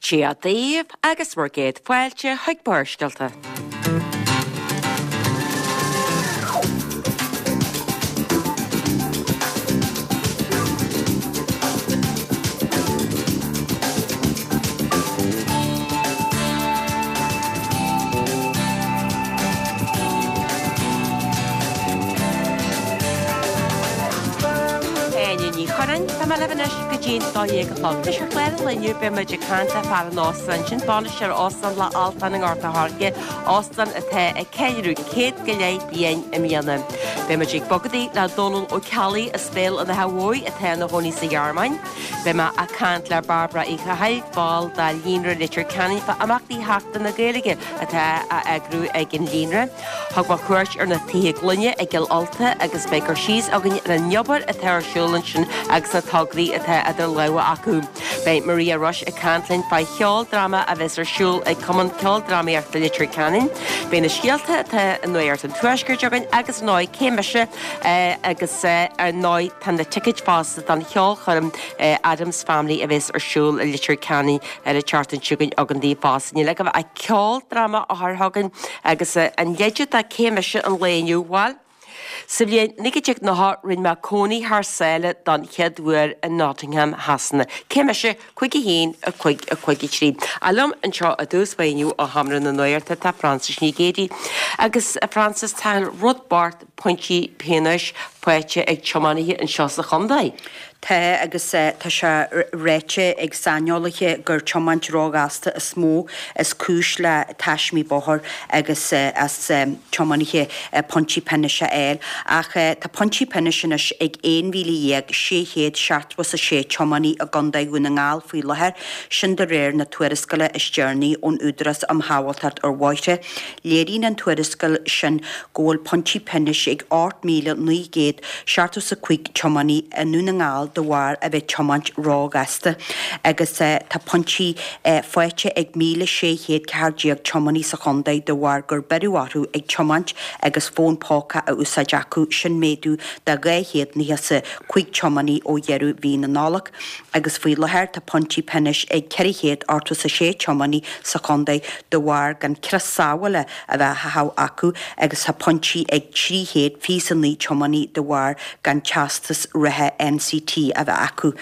Dia daoibh agus bhur gcéad fáilte chuig Barrscéalta. Áine Ní Churráin, Tá mé libh anois go dtí'n 12 a chlog. Anois ar chlár an lae inniu beidh muid ag caint le fear an óstáin sin, bainisteoir Óstán Loch Altáin i nGort a' Choirce, óstán atá ag ceiliúradh 100 go leith bliain i mbliana. Beidh muid ag bogadaigh le Dónal Ó Ceallaigh as Béal an Átha Bhuí atá ina chónaí sa Ghearmáin. Beidh mé ag caint le Bairbre Uí Chathail, ball de Líonra Leitir Ceanainn fá imeachtaí Sheachtain na Gaeilge atá á eagrú ag an Líonra. Thug mé cuairt ar na Tithe Gloine i gCill Ulta agus beidh cur síos againn ar an obair atá ar siúl ansin agus na tograí atá idir lámha acu. Beidh Maria Rush ag caint linn fá cheoldráma a bheas ar siúl ag Cumann Ceoldrámaíochta Leitir Ceanainn. Beidh na scéalta atá i Nuacht an Tuaiscirt againn agus ar ndóigh cé mise agus ar ndóigh tá na ticéid fosta don cheolchoirm Addams Family a bheas ar siúl i Leitir Ceanainn ar an tseachtain seo chugainn againn daoibh fosta. Níl agaibh ach ceoldráma a chur chugainn agus an leide do cé mise an lae inniu, bhuel, sa bhliain 1990 rinne mé cónaí thar sáile don chéad uair i Nottingham Shasana. Cé mise? 5 1 5 5 3. Ach liom anseo i dtús báire inniu ó Sheomra na Nuachta tá Frances Ní Ghéidigh. Agus a Frances, tá rud bocht pointí pionóis faighte ag tiománaithe anseo sa chontae. Tá, agus tá sé ráite ag saineolaithe gur tiomáint róghasta is mó is cúis le taismí bóthair agus as tiománaithe pointí pionóis a fháil. Ach tá pointí pionóis anois ag 11,676 tiománaí i gContae Dhún na nGall faoi láthair, sin de réir na tuarascála is deireanaí ón Údarás um Shábháilteacht ar Bhóithre. Léiríonn an tuarascáil sin go bhfuil pointí pionóis ag 8,975 tiománaí i nDún na nGall de bharr a bheith tiomáint róghasta agus tá pointí faighte ag 1,614 tiománaí sa chontae de bharr gur beireadh orthu ag tiomáint agus fón póca á úsáid acu, sin méadú de 295 tiománaí ó dheireadh mhí na Nollag. Agus faoi láthair tá pointí pionóis ag 486 tiománaí sa chontae de bharr gan crios sábhála a bheith á chaitheamh acu agus tá pointí ag 329 tiománaí de bharr gan teastas reatha NCT a bheith acu.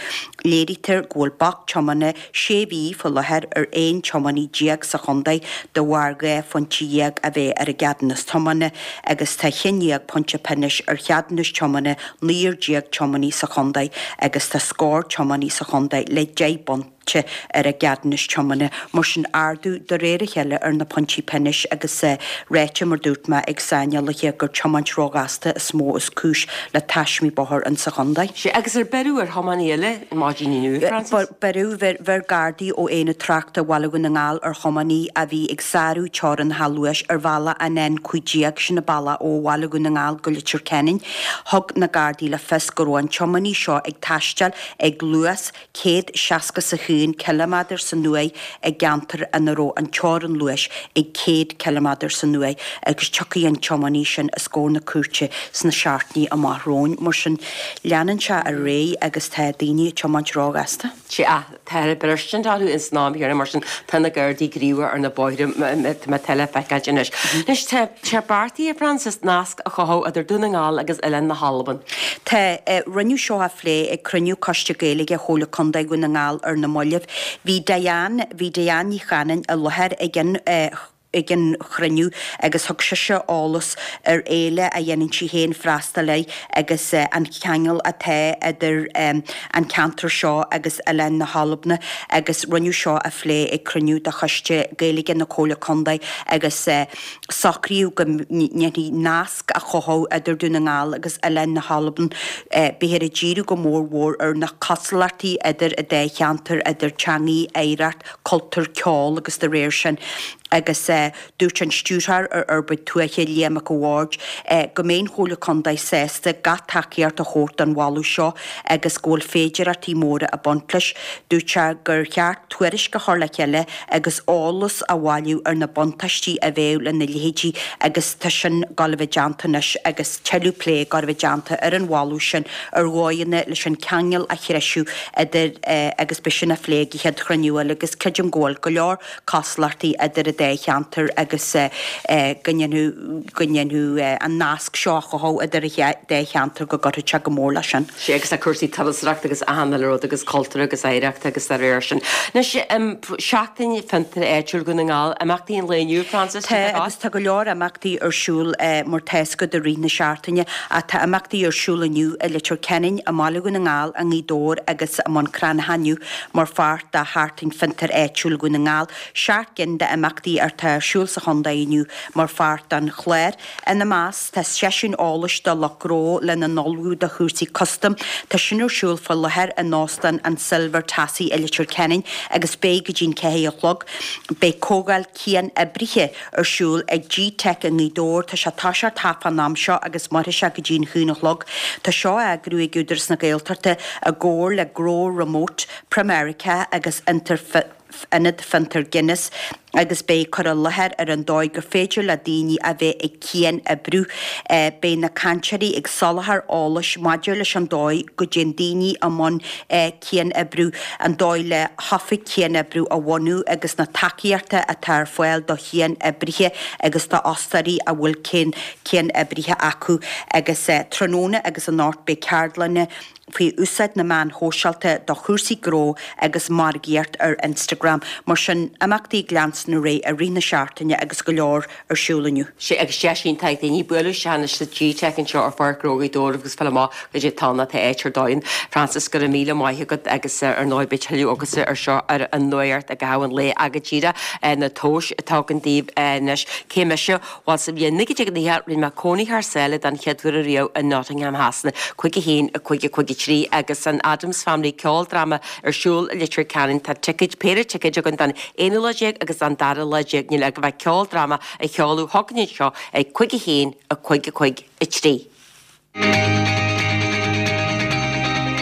Léirítear go bhfuil bac tiomána sé mhí faoi láthair ar 11 tiománaí sa chontae de bharr 12 phointe a bheith ar a gceadúnas tiomána agus tá 11 pointe pionóis ar cheadúnas tiomána 19 tiománaí sa chontae agus tá scór tiománaí sa chontae le 10 bpointe ar a gceadúnas tiomána. Mar sin, ardú de réir a chéile ar na pointí pionóis agus ráite, mar dúirt mé, ag saineolaithe gur tiomáint róghasta is mó is cúis le taismí bóthair insa chontae. Sea, agus ar beireadh ar thiománaí eile maidin inniu, Frances? Beireadh, bheir Gardaí ó Aonad Tráchta Bhaile Dhún na nGall ar thiománaí a bhí ag sárú teorainneacha luais ar bhealach an N15, sin an bealach ó Bhaile Dhún na nGall go Leitir Ceanainn. Thug na Gardaí le fios go raibh an tiománaí seo ag taisteal ag luas 161 ciliméadar san uair i gceantar ina raibh an teorainn luais ag 100 ciliméadar san uair agus tiocfaidh an tiománaí sin os comhair na cúirte sna seachtainí amach romhainn. Mar sin, leanann sé ar aghaidh agus tá daoine ag tiomáint róghasta. Sea, tá ar braistint orthu ins an am chéanna, mar sin tá na Gardaí gníomhach ar na bóithre má tá le feiceáilt anois. Anois tá sé beartaithe, a Frances, nasc a chothú idir Dún na nGall agus Oileán na hAlban. Tá. Rinneadh seo a phlé ag cruinniú Coiste Gaeilge Chomhairle Contae Dhún na nGall ar na mallaibh. Bhí Diane, bhí Diane Ní Chanainn i láthair ag an ag an chruinniú agus thug sise eolas ar fhéile a dhéanann sí féin freastal air agus an ceangal atá idir an ceantar seo agus Oileán na hAlban agus rinneadh seo a phlé ag cruinniú de Choiste Gaeilge na Comhairle Contae agus socraíodh go ndéanfaí nasc a chothú idir Dún na nGall agus Oileán na hAlban. Beifear ag díriú go mór mhór ar na cosúlachtaí idir an dá cheantar, idir teangaí, oidhreacht, cultúr, ceol agus dá réir sin. Agus dúirt an Stiúrthóir ar Fhorbairt Tuaithe, Liam Mac a' Bhaird, go mbeidh an Chomhairle Contae sásta gach tacaíocht a thabhairt don mholadh seo agus go bhfuil féidireachtaí móra ag baint leis. Dúirt sé gur cheart tuairisc a chur le chéile agus eolas a bhailiú ar na buntáistí a bheadh lena leithéidí agus tá sin ag gabháil a bheith déanta anois agus tuilleadh plé ag gabháil a bheith déanta ar an mholadh sin ar dhóigheanna leis an ceangal a threisiú idir agus beidh sin á phlé ag an chéad chruinniú eile agus creidim go bhfuil go leor cosúlachtaí idir an dá cheantar agus go ndéanfadh go ndéanfadh an nasc seo a chothú idir an dá cheantar go gcuirfeadh sé go mór leis sin. Sea, agus tá cúrsaí turasóireachta agus achan uile rud agus cultúr agus oidhreacht agus dá réir sin. Anois, Seachtain Fiontair Áitiúil Dhún na nGall, imeachtaí an lae inniu, Frances, Tá, agus tá go leor imeachtaí ar siúl mar tá fhios agat i rith na seachtaine ach tá imeachtaí ar siúl inniu i Leitir Ceanainn, i mBaile Dhún na nGall, i nGaoth Dobhair agus i mBun Cranncha inniu mar pháirt de Sheachtain Fiontair Áitiúil Dhún na nGall. 7 gcinn d'imeachtaí atá ar siúl sa chontae inniu mar pháirt den chlár. Ina measc, tá seisiún eolais do lucht gnó lena n-ullmhú do chúrsaí custaim. Tá sin ar siúl faoi láthair in Óstán an Silver Tassie i Leitir Ceanainn agus beidh go dtí'n 4 a chlog. Beidh comhdháil cian-oibrithe ar siúl ag G-Teic i nGaoth Dobhair. Tá sé ag toiseacht thart fán am seo agus mairfidh sé go dtí'n haon a chlog. Tá seo á eagrú ag Údarás na Gaeltachta i gcomhar le Grow Remote, Pramerica agus Ionad Fiontair Guinness agus beidh cur i láthair ar an dóigh gur féidir le daoine a bheith ag cian-oibriú. Beidh na cainteoirí ag soláthar eolais maidir leis an dóigh go dtéann daoine i mbun cian-oibriú, an dóigh le hoifig cian-oibriú a bhunú agus na tacaíochta atá ar fáil do chian-oibrithe agus d'fhostóirí a bhfuil cian-oibrithe acu. Agus tráthnóna agus anocht beidh ceardlanna faoi úsáid na meán shóisialta do chúrsaí gnó agus margaíocht ar Instagram. Mar sin, imeachtaí ag leanstan ar aghaidh i rith na seachtaine agus go leor ar siúl inniu. Sea, agus deis iontach ag daoine bualadh isteach anois sa G-Teic anseo ar Pháirc Ghnó Ghaoth Dobhair agus fáil amach goidé atá ann tá áit ar dóigh ann. Frances, go raibh míle maith agat agus ar ndóigh beidh tuilleadh agatsa ar seo ar an Nuacht i gcaitheamh an lae ach go díreach na tomhais atá againn daoibh anois. Cé mise? Bhuel, sa bhliain 1990, rinne mé cónaí thar sáile don chéad uair ariamh i Nottingham Shasana, 5 1, 5 5 3, agus an Addams Family ceoldráma ar siúl i Leitir Ceanainn. Tá ticéid, péire ticéid againn don aonú lá déag agus don dara lá déag. Níl ach go bheith ceoldráma a sheoladh chugainn anseo ag 5 1, 5 5 3.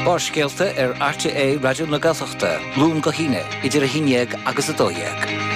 Barrscéalta ar RTÉ Raidió na Gaeltachta, Luan go hAoine, idir 11 agus 12.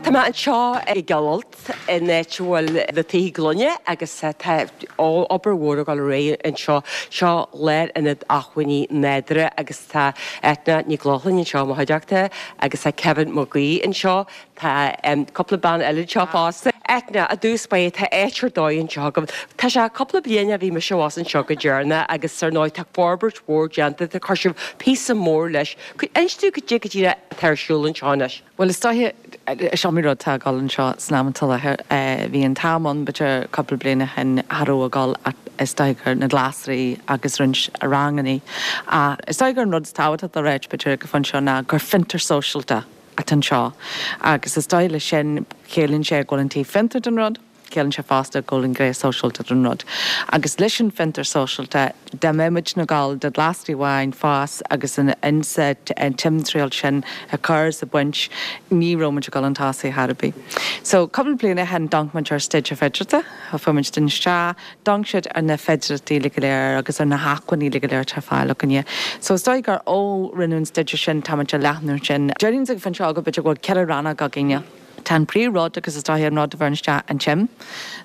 Tá mé anseo i gCill Ailt, in áit a bhfuil na tithe gloine agus tá obair mhór ag dul ar aghaidh anseo. Seo Lárionad Acmhainní Nádúrtha agus tá Eithne Nic Lochlainn anseo i mo chuideachta agus tá Kevin Mac Aoidh anseo. Tá cúpla bean eile anseo fosta. Eithne, I dtús báire, tá áit ar dóigh anseo agaibh. Tá sé cúpla bliain ó bhí mise abhus anseo go deireanach agus ar ndóigh tá forbairt mhór déanta, tá chuir sibh píosa mór leis. Inis dúinn cad é go díreach atá ar siúl anseo anois. Bhuel is dóiche, is iomaí rud atá ag dul anseo san am atá i láthair. Bhí an t-am ann b'fhéidir cúpla bliain ó shin cha raibh ag dul ach is dóiche gur na glasraí agus roinnt rangannaí. Ach is dóiche gur an rud is tábhachtach le ráit b'fhéidir ag an phointe seo ná gur fiontar sóisialta atá anseo agus is dóigh leis sin, ciallaíonn sé go bhfuil an taobh fiontair den rud, ciallaíonn sé fosta go bhfuil an ghné sóisialta den rud. Agus leis an bhfiontar sóisialta, dá mbeadh muid ag gabháil do ghlasraí amháin fás agus an insa an timthriall sin a chur is a bhaint, ní raibh muid ag dul chun tosaigh chor ar bith. So, cúpla bliain ó shin, d'amharc muid ar staidéar féidearthachta, fuair muid duine isteach, D'amharc siad ar na féidearthachtaí uilig go léir agus ar na hacmhainní uilig go léir atá ar fáil againne. So is dóigh gur ó rinneadh an staidéar sin táimid ag leathnú sin. Déarfainn ag an phointe seo go b'fhéidir go bhfuil 4 rannóg againne. Tá an príomh rud agus is dóigh an rud a bheireann isteach an tsuim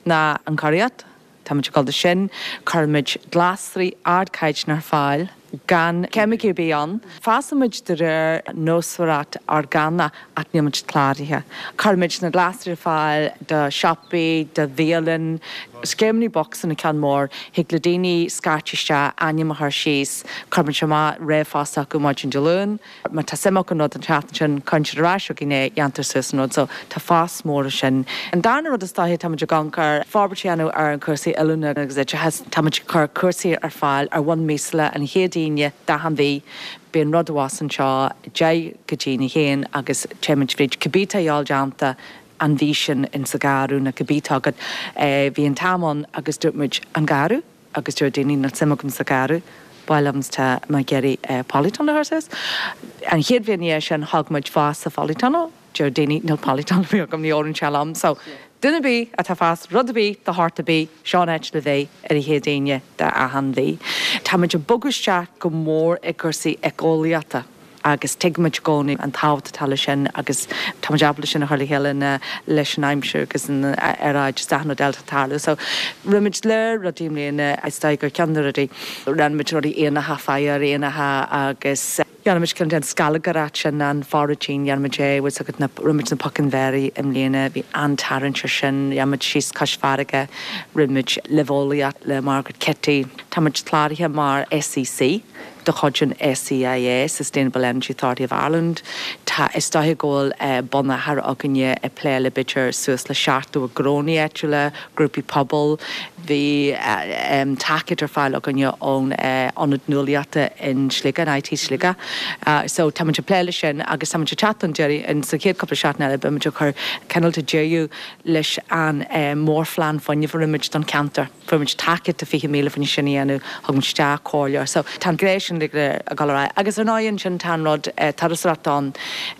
ná an churaíocht. Táimid ag dul do sin. Cuirimid glasraí ardchaighdeán ar fáil. gan ceimicí ar bith ann. Fásann muid de réir nósmhaireacht orgánach ach níl muid cláraithe. Cuirimid na glasraí ar fáil do shiopaí, do bhialann. Scéimeanna bocsa an ceann mór. Thig le daoine scairt isteach, ainm a chur síos. Cuirimid amach ríomhphost acu maidin Dé Luain. Má tá suim acu an rud an tseachtain sin, cuireann siad ar ais chugainn é, dhéantar suas an rud. So, tá fás mór ansin. An darna rud is dóiche, táimid ag amharc ar forbairt a dhéanamh ar an cúrsaí oiliúna agus oideachais. Táimid ag cur cúrsaí ar fáil ar bhonn míosúla an chéad Aoine d'achan mhí. Bíonn rud abhus anseo 10 go dtí a haon agus téimid fríd cibé atá a dhíobháil déanta an mhí sin in sa gharradh nó cibé atá agat. Bhí an t-am ann agus dúirt muid, an garradh? Agus deir daoine, níl suim agam sa gharradh. Ba mhaith liom tá mé ag iarraidh polytunnel a chur suas. An chéad bhliain ina dhiaidh sin thóg muid fosta polytunnel. Deir daoine níl polytunnel ar bith agam, ní oireann sé liom. So, duine ar bith atá ag fás rud ar bith de shórt ar bith, seo an áit le bheith ar an chéad Aoine de achan mhí. Tá muid ag bogadh isteach go mór i gcúrsaí éiceolaíochta agus tuigimid i gcónaí an tábhacht atá leis sin agus tá muid ábalta sin a chur le chéile na leis an aimsir agus an aeráid is achan rud eile atá ag tarlú. So, rinne muid lear rudaí i mbliana, is dóigh gur ceann de na rudaí, rinne muid rudaí éanacha, fire éanacha agus. Dhéan muid ceann den scalgaireacht sin, an foraging, dhéan muid é, bhfuil 's agat na, rinne muid na pocáin bhéarraí i mbliana, bhí an-tarraingt ar sin, dhéan muid síos cois farraige, rinne muid luibheolaíocht le Margaret Kitty. Tá muid cláraithe mar SEC de chuid an SEAI, Sustainable Energy Authority of Ireland. Tá, is dóiche go bhfuil bunachar againne ag plé le b'fhéidir suas le 70 gnónnaí áitiúla, grúpaí pobail. Bhí tacaíocht ar fáil againne ón Ionad Nuálaíochta in Sligeach, in IT Sligeach. So tá muid ag plé leis sin agus tá muid ag teacht don deireadh in sa chéad cúpla seachtain eile beidh muid ag cur cineál de deireadh leis an mórphlean fuinnimh a rinne muid don cheantar. Fuair muid tacaíocht de 20,000 faoin sin a dhéanamh, thug muid isteach comhairleoir. So tá an ghné sin ag dul ar aghaidh. Agus ar ndóigh ansin tá an rud turasóireachta ann.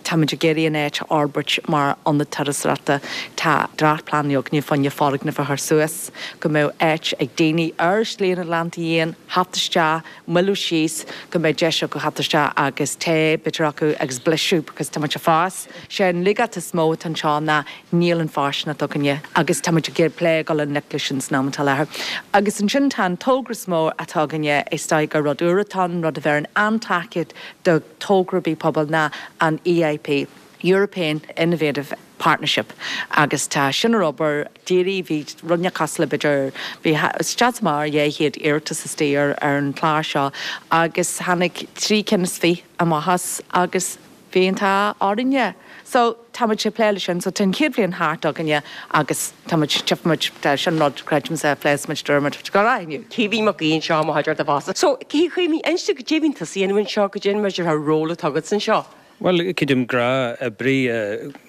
Tá muid ag iarraidh an áit a fhorbairt mar ionad turasóireachta. Tá dréachtphlean againne fá choinne foirgneamh a chur suas go mbeadh áit ag daoine ar Shlí an Atlantaigh Fhiáin theacht isteach, moilliú síos, go mbeadh deis acu theacht isteach agus tae b'fhéidir acu agus blaiseadh because tá muid ag fás. Sé an laigeacht is mó atá anseo ná níl an fóirsteanacht againne agus tá muid ag iarraidh plé ag dul i ngleic leis sin san am atá i láthair. Agus ansin tá an togra is mó atá againne, is dóigh gur rud úr atá ann, rud a bheireann an-tacaíocht do togra ar bith pobail ná an EIP, European Innovative Partnership, agus tá sin ar obair díreach, bhí rud inteacht cosúil le b'fhéidir, bhí isteach is amach ar 200 iarratas istigh ar an chlár seo agus tháinig 23 amach as agus bhí an t-ádh orainne. So, tá muid ag plé leis sin. So, tá an chéad bhliain thart againne agus tá muid, tchífidh muid, tá sin rud, creidimse, pléasc muid, dúirt muid, go raibh inniu. Caoimhín Mac Aoidh anseo i mo chuideachta fosta. So, Caoimhín, inis dom goidé a bhíonn tusa a dhéanamh anseo, goidé an b'fhéidir an ról atá agat anseo. Bhuel, creidim gnáth-oibrí,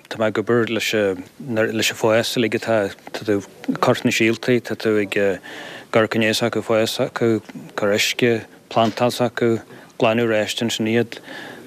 tá mé ag obair leis leis an fás uilig atá, tá tú ag cur na síoltaí, tá tú ag cur coinneáil s'acu fás s'acu, cur uisce, plantáil s'acu, glanadh réist ansin iad.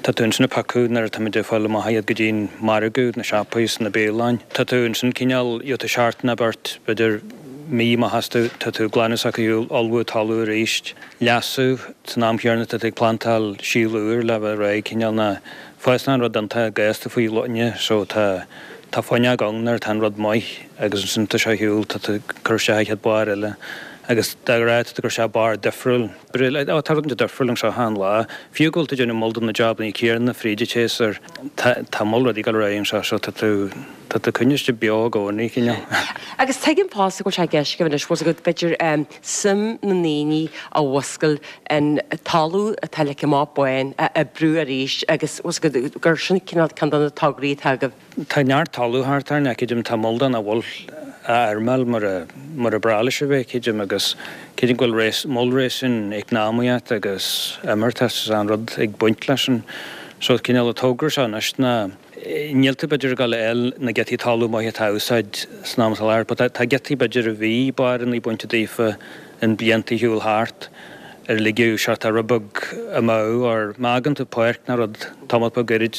Tá tú ansin ag piocadh nuair atá muid ag fáil amach iad go dtí'n margadh, na siopaí is na bialanna. Tá tú ansin cineál, gheobhaidh tú seachtain nó beirt, b'fhéidir mí amach astu, tá tú ag glanadh s'acu, ullmhú talamh arís, leasú, san am chéanna tá tú ag plantáil síol úr le bheith réidh cineál ná fásann an rud iontach gasta faoi loine so tá tá fuinneog ann nuair atá an rud maith agus ansin tá sé ar shiúl, tá tú ag cur isteach an chéad barr eile agus de ghnáth tá tú ag cur isteach barr difriúil. Ó, tá rud inteacht difriúil anseo achan lá. Fiú go bhfuil tú ag déanamh moll de na jabannaí céanna fríd an tséasúr, tá tá moll rudaí ag dul ar aghaidh anseo so tá tú tá tú coinniste beo i gcónaí, cineál. Agus tuigim fosta go bhfuil sé i gceist agaibh anois, bhfuil 's agat, b'fhéidir suim na ndaoine a mhúscailt in talamh atá ligthe amach bán a oibriú arís agus bhfuil 's agat gur sin cineál ceann de na tograí atá agaibh. Tá neart talamh thart orainn, creidim, tá moll de nach bhfuil á fheirmeáil mar a mar a ba bhreá leis a bheith, creidim, agus creidim go bhfuil réas moll réasún eacnamaíocht agus imeartas is an rud ag baint leis sin. So cineál an togra seo anois ná níl tú b'fhéidir ag dul a fháil na giotaí talamh maithe atá á úsáid san am atá i láthair but tá giotaí b'fhéidir a bhí barrannaí bainte daofa in blianta a shiúl thart ar ligeadh seort rud beag amú or má fhágann tú páirc nó rud tamall beag gairid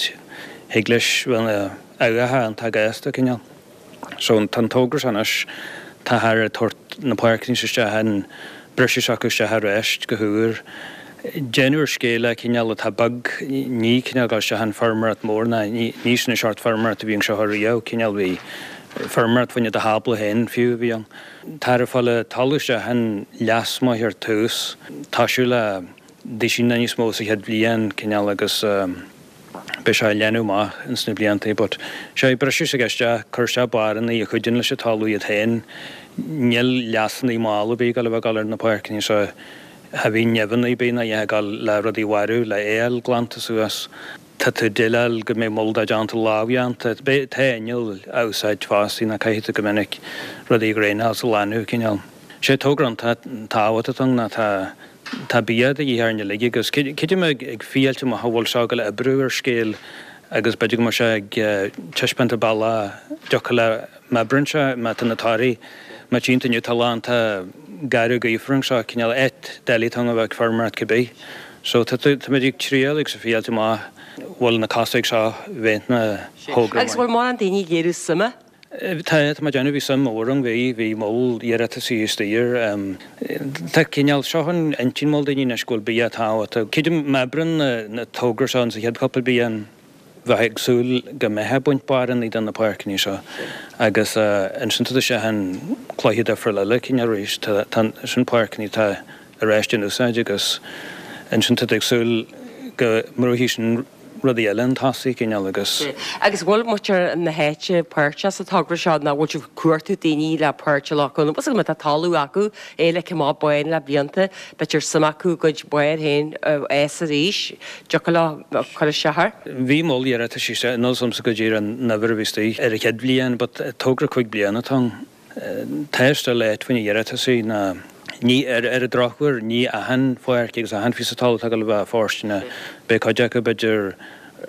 thig leis bheith ina abhacha iontach gasta cineál. So tá an togra seo anois táthar ag tabhairt na páirceanna seo isteach an briseadh s'acu isteach aríst go húr. Déanamh ar scéala cineál atá beag, ní cineál dul isteach in feirmeoireacht mór ná ní ní sin an seort feirmeoireacht a bhí anseo riamh, cineál bhí feirmeoireacht fá choinne do thábla féin fiú a bhí ann. Táthar ag fáil an talamh isteach in leas maith ar tús, toisiú le duisín níos mó sa chéad bhliain cineál agus beidh sé ag leanadh amach ins na blianta but sé briseadh s'aige isteach, cur isteach barrannaí a chuidíonn leis an talamh iad féin. Níl leasannaí mall ar bith ag dul a bheith ag dul ar na páirceanna so cha bhíonn nimheanna ar bith ná a dhath ag dul le rudaí a mharú, le fhéil glanta suas. Tá tú ag déileáil go mbeidh moll dá déanta lámhdhéanta. Beidh, tá inneall á úsáid fosta ná caithfidh tú go minic rudaí a dhraenáil is a ghlanadh cineál. Sé togra iontach tábhachtach ann ná tá Tá bia de dhíth orainn uilig agus creidim ag fiáilte amach a bhfuil seo ag dul a oibriú ar scéal agus b'fhéidir go mbeidh sé ag taispeáint an bealach dtiocfadh le má oibríonn sé, má tá na torthaí. Má tchíonn tú inniu tá lán tá garradh gaofar anseo, cineál áit doiligh atá ann a bheith ag feirmeoireacht cibé. So tá tá muid ag triail agus ag fíáilt amach bhfuil na cosa ag seo bheith na thogra Agus bhfuil mórán daoine ag léiriú suime? Tá, tá mé ag déanamh, bhí suim mhór ann, bhí, bhí moll iarratasaí istigh ar, tá cineál, seo an intinn moll daoine anois go bhfuil bia tábhachtach. Creidim má oibreann na na togra seo insa chéad cúpla bliain, bheith ag súil go mbeifeá ag baint barrannaí de na páirceanna seo agus ansin tá sé an cluiche difriúil eile cineál arís. Tá sin páirceanna atá ar ais in úsáid agus ansin tá tú ag súil go mbrúfaidh sin rudaí eile chun tosaigh cineál agus. Agus bhfuil muintir na háite páirteach sa togra seo nó bhfuil sibh ag cuartú daoine le páirt a ghlacadh ann? Bhfuil 's agat má tá talamh acu, é ligthe amach bán le blianta, b'fhéidir suim acu a gcuid barr féin a fhás arís, dtiocfadh leo cur isteach air. Bhí moll iarratais isteach, níl 's agamsa go díreach an uimhir a bhí istigh ar an chéad bhliain but togra 5 bliana atá ann. Tá still áit faoi na hiarratasaí ná ní, ar an drochuair, ní achan pháirc agus achan phíosa talaimh atá ag dul a bheith fóirsteanach. Beidh cuid acu b'fhéidir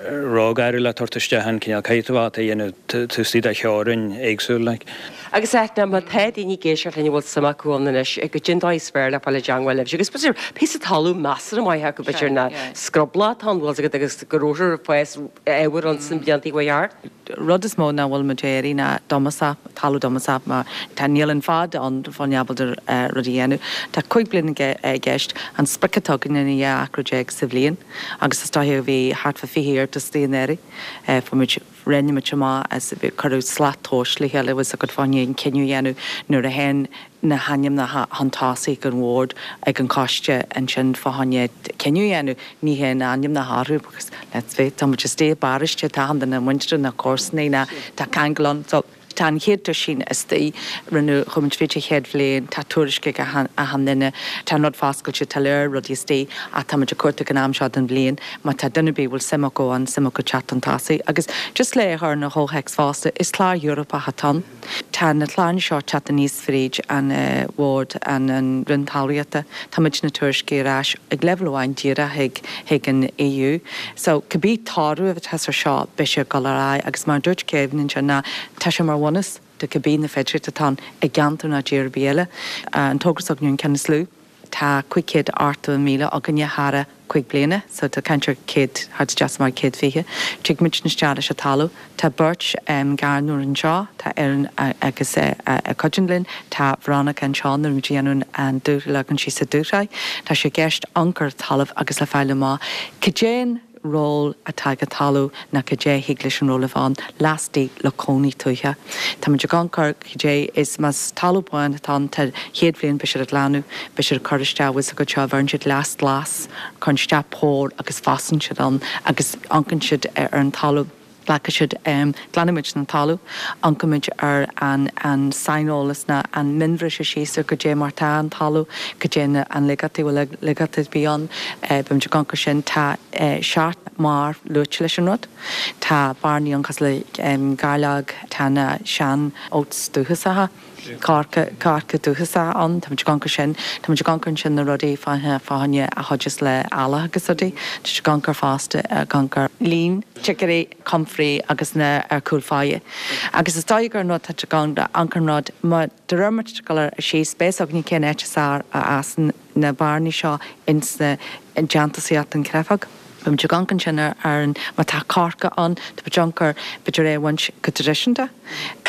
róghar le tabhairt isteach an cineál caithfidh tú a dhéanamh taobh istigh de theorainn éagsúil like. Agus Eithne, má tá daoine ag éisteacht linn a bhfuil suim acu ann anois, goidé an dóigh is fearr le fáil i dteangmháil libhse agus b'fhéidir píosa talún measartha maith acu b'fhéidir ná scrubla atá ann bhfuil 's agat agus go rabhthar ag fás ábhar ann sna blianta a chuaigh thart. Rud is mó ná bhfuil muid ag iarraidh ná dómasach, talamh dómasach mar tá níl an fad ann fá choinne ábalta rud a dhéanamh. Tá 15 bliain i gceist. An sprioc atá againne ná 12 acra sa bhliain agus is dóiche bhí thart fá 20 iarratas anuraidh. Fuair muid, rinne muid amach as, cuireadh slat tomhais le chéile bhfuil 's agat fá choinne an cinneadh a dhéanamh nuair a théann na hainmneacha chun tosaigh ag an bhord, ag an choiste ansin fá choinne cinneadh a dhéanamh. Ní théann ainmneacha orthu because let's face it, tá muid istigh i bparóiste, tá achan duine muinteartha nó comharsanaí nó tá ceangal ann. So tá an chéad duisín istigh, rinneadh, chuaigh muid fríd an chéad bhliain, tá tuairisc ag achan duine, tá an rud foscailte, tá lear rudaí istigh ach tá muid ag cuartú ag an am seo den bhliain má tá duine ar bith a bhfuil suim acu ann, suim acu teacht chun tosaigh. Agus just le é a chur ina chomhthéacs fosta, is clár Eorpach atá ann. Tá na cláranna seo ag teacht aníos fríd an Bhord, an Roinn Talmhaíochta. Tá muid ag tuairisciú ar ais ag leibhéal amháin díreach chuig chuig an EU. So cibé toradh atá ar seo beidh sé ag dul ar aghaidh agus mar a dúirt Kevin ansin ná tá sé mar bhunús do cibé na féidearthachtaí atá ann i gceantar nó tír ar bith eile. An togra s'againne an ceann is lú. Tá 580,000 againne thar 5 bliana, so tá caint ar 100, thart isteach sa 120. Tig muid isteach leis an talamh. Tá beirt ghairneoir anseo, tá Erin agus a cuidíonn linn, tá Veronica anseo nuair muid a dhéanamh an dúshraith, leagann sí sa dúshraith. Tá sé i gceist amharc ar talamh agus le fáil amach cad é an ról atá ag an talamh ná cad é thig leis an ról a bheith ann lastigh le cónaí tuaithe. Tá muid ag amharc ar cad é is más talamh bán atá ann tá chéad bhliain beidh siad ag glanadh, beidh siad ag cur isteach bhfuil 's agat seo bheireann siad leas glas, cuireann isteach pór agus fásann siad ann agus amharcann siad ar an talamh. Glacfaidh siad, glanfaidh muid an talamh, amharcfaidh muid ar an an saineolas ná an mionbhriseadh síos ar goidé mar tá an talamh, goidé na an laigeachtaí, bhfuil laigeachtaí ar bith ann, beidh muid ag amharc ar sin. Tá seacht mbarr luaite leis an rud. Tá bearnaí ann cosúil le gairleog, tá na sean oats dúchasacha. coirce, coirce dúchasach ann. Tá muid ag amharc ar sin. Tá muid ag amharc ansin na rudaí fá choinne a chuideos le eallach agus rudaí. Tá muid ag amharc ar fosta, ag amharc ar líon chicory, comfrey agus na ar cúl fáidhe. Agus is dóigh gur an rud tá ag amharc an rud, má de réir mar tá ag dul ar síos, beidh a fhios againne cén áit is fhearr a fhásann na bearnaí seo ins na déantúsaíocht an chreafóg. Beidh muid ag amharc ansin ar an, má tá coirce ann, tá muid ag amharc ar, b'fhéidir é a bhaint go traidisiúnta.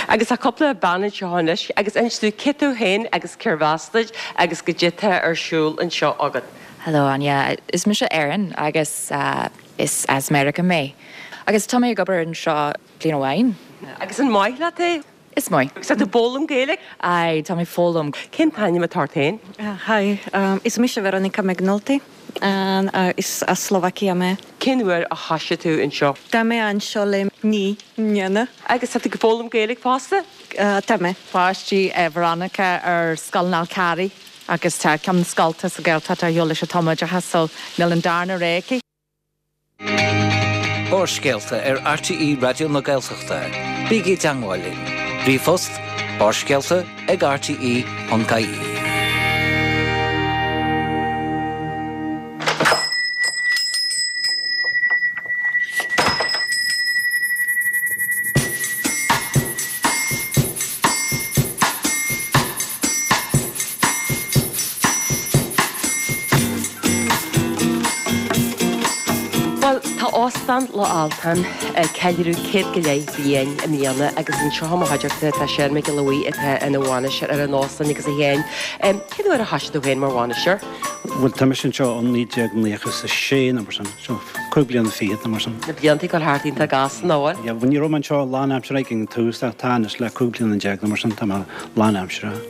Agus tá cúpla bean anseo anois agus inis dúinn cé tú féin agus cérbh as duit agus goidé tá ar siúl anseo agat. Hello Áine, is mise Erin agus is as Meiriceá mé. Agus tá mé ag obair anseo bliain amháin. Agus an maith leat é? Is maith. Agus tá tú ag foghlaim Gaeilge? Aye, tá mé ag foghlaim. Cén t-ainm atá ort féin? Hi, is mise Veronika McNulty and is as Slovakia mé. Cén uair a thoisigh tú anseo? Tá mé anseo le 9 mbliana. Agus tá tú ag foghlaim Gaeilge fosta? Tá mé. Páistí Veronica ar Scoil an Fhál Carraigh agus tá ceann na scolta sa Ghaeltacht ar shiúl leis an tumoideachas so níl an darna rogha aici. Barrscéalta ar RTÉ Raidió na Gaeltachta. Bígí i dteangmháil linn. Ríomhphost, Barrscéalta ag rte.ie. Óstán Loch Altan ag ceiliúradh 100 go leith bliain i mbliana agus anseo i mo chuideachta tá Seán Mac Giolla Bhuí atá ina bhainisteoir ar an óstán agus a Sheáin, cén uair a thoisigh tú féin mar bhainisteoir? Bhuel tá mise anseo ó 1996 nó mar sin, so cúig bliana fichead nó mar sin. Na blianta ag dul thart iontach gasta nach bhfuil? Yeah, bhuel ní raibh mé anseo lánaimseartha ag an tús ach tá anois le 15 bliana nó mar sin tá mé lánaimseartha.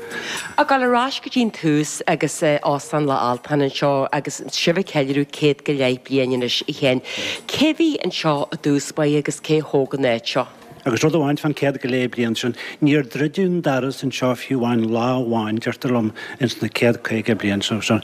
Ag dul ar ais go dtí an tús agus Óstán Loch Altan anseo agus sibh ag ceiliúradh 100 go leith bliain anois a Sheáin. Cé bhí anseo i dtús báire agus cé thóg an áit seo? Agus rud amháin fán 100 go leith bliain sin, níor druideadh an doras anseo fiú amháin lá amháin, deirtear liom, ins na 150 bliain seo. Seo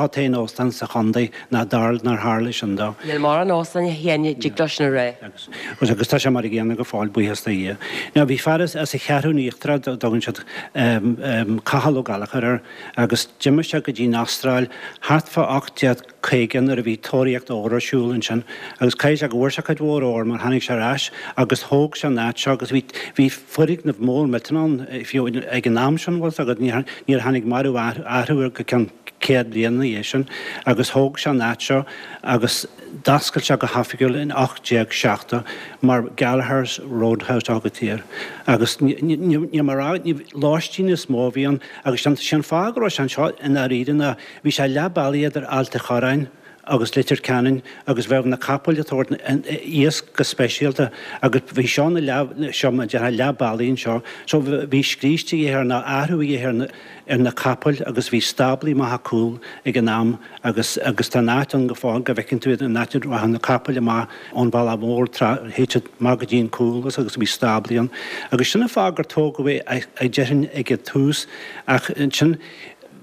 an t-aon óstán sa chontae nár tharla sin dó. Níl mórán óstán a Sheáin a dtig leo sin a rá. Agus agus tá sé mar a gcéanna go fóill, buíochas do Dhia. Now bhí fear as as an Cheathrún Íochtarach a dtugann siad Cathal Ó Gallchóir air agus d'imigh sé go dtí an Astráil thart fá 1850 nuair a bhí tóraíocht óir ar siúl ansin agus caithfidh sé go bhfuair sé cuid mhór óir mar tháinig sé ar ais agus thóg sé an áit seo agus bhí bhí foirgneamh mór millteanach ann fiú ag an am sin bhfuil 's agat níor níor tháinig mórán athrú air go ceann 100 bliain ina dhiaidh sin agus thóg sé an áit seo agus D'oscail sé go hoifigiúil in 1870 mar Gallagher's Roadhouse a thugtaí air agus níl mé a rá, lóistín is mó a bhí ann agus sé an fáth go raibh sé anseo i ndáiríre ná bhí sé leath bealaigh idir Ailt a' Chorráin agus Leitir Ceanainn agus bheadh na capaill ag tabhairt iasc go speisialta agus bhí seo ina leath, seo mar a déarfá leath bealaigh anseo so bhí scríos de dhíth air nó athrú a dhíth ar ar na capaill agus bhí stáblaí amach a cúl ag an am agus agus tá an áit ann go fóill go bhfeiceann tú iad an áit a rachadh na capaill amach ón bhealach mhór tráth théid siad amach go dtí an cúl agus agus bhí stáblaí ann agus sin an fáth gur tógadh é a déarfainn ag an tús ach ansin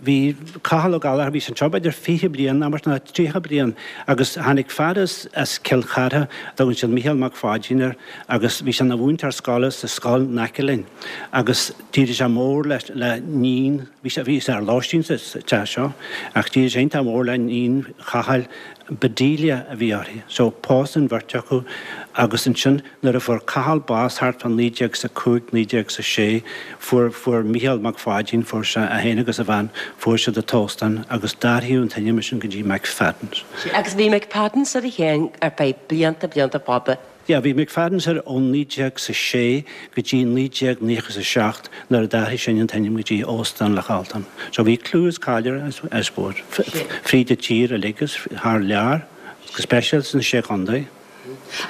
bhí Cathal Ó Gallchóir bhí sé anseo b'fhéidir 20 bliain nó mar sin nó 30 bliain agus tháinig fear as as Cill Chartha a dtugann siad Mícheál Mac Pháidín air agus bhí sé ina mhúinteoir scoile sa scoil in aice linn agus D'éirigh sé mór le le níon, bhí sé bhí sé ar lóistín sa teach seo, ach d'éirigh sé iontach mór le níon Chathail, Bedelia a bhí uirthi. So pósadh an bheirt acu agus ansin nuair a fuair Cathal bás thart fá 1905, 1906, fuair fuair Mícheál Mac Pháidín, fuair sé é féin agus a bhean, fuair siad an t-óstán agus d'athraíodh an t-ainm sin go dtí McFadden's. Agus bhí McFadden's ar a Sheáin ar feadh blianta blianta fada. Yeah, bhí McFadden's air ó 1906 go dtí 1997 nuair a d'athraigh sinn an t-ainm go dtí Óstán Loch Altan. So bhí clú is cáil air, I suppose, fríd an tír uilig agus thar lear, go speisialta sna Sé Chontae.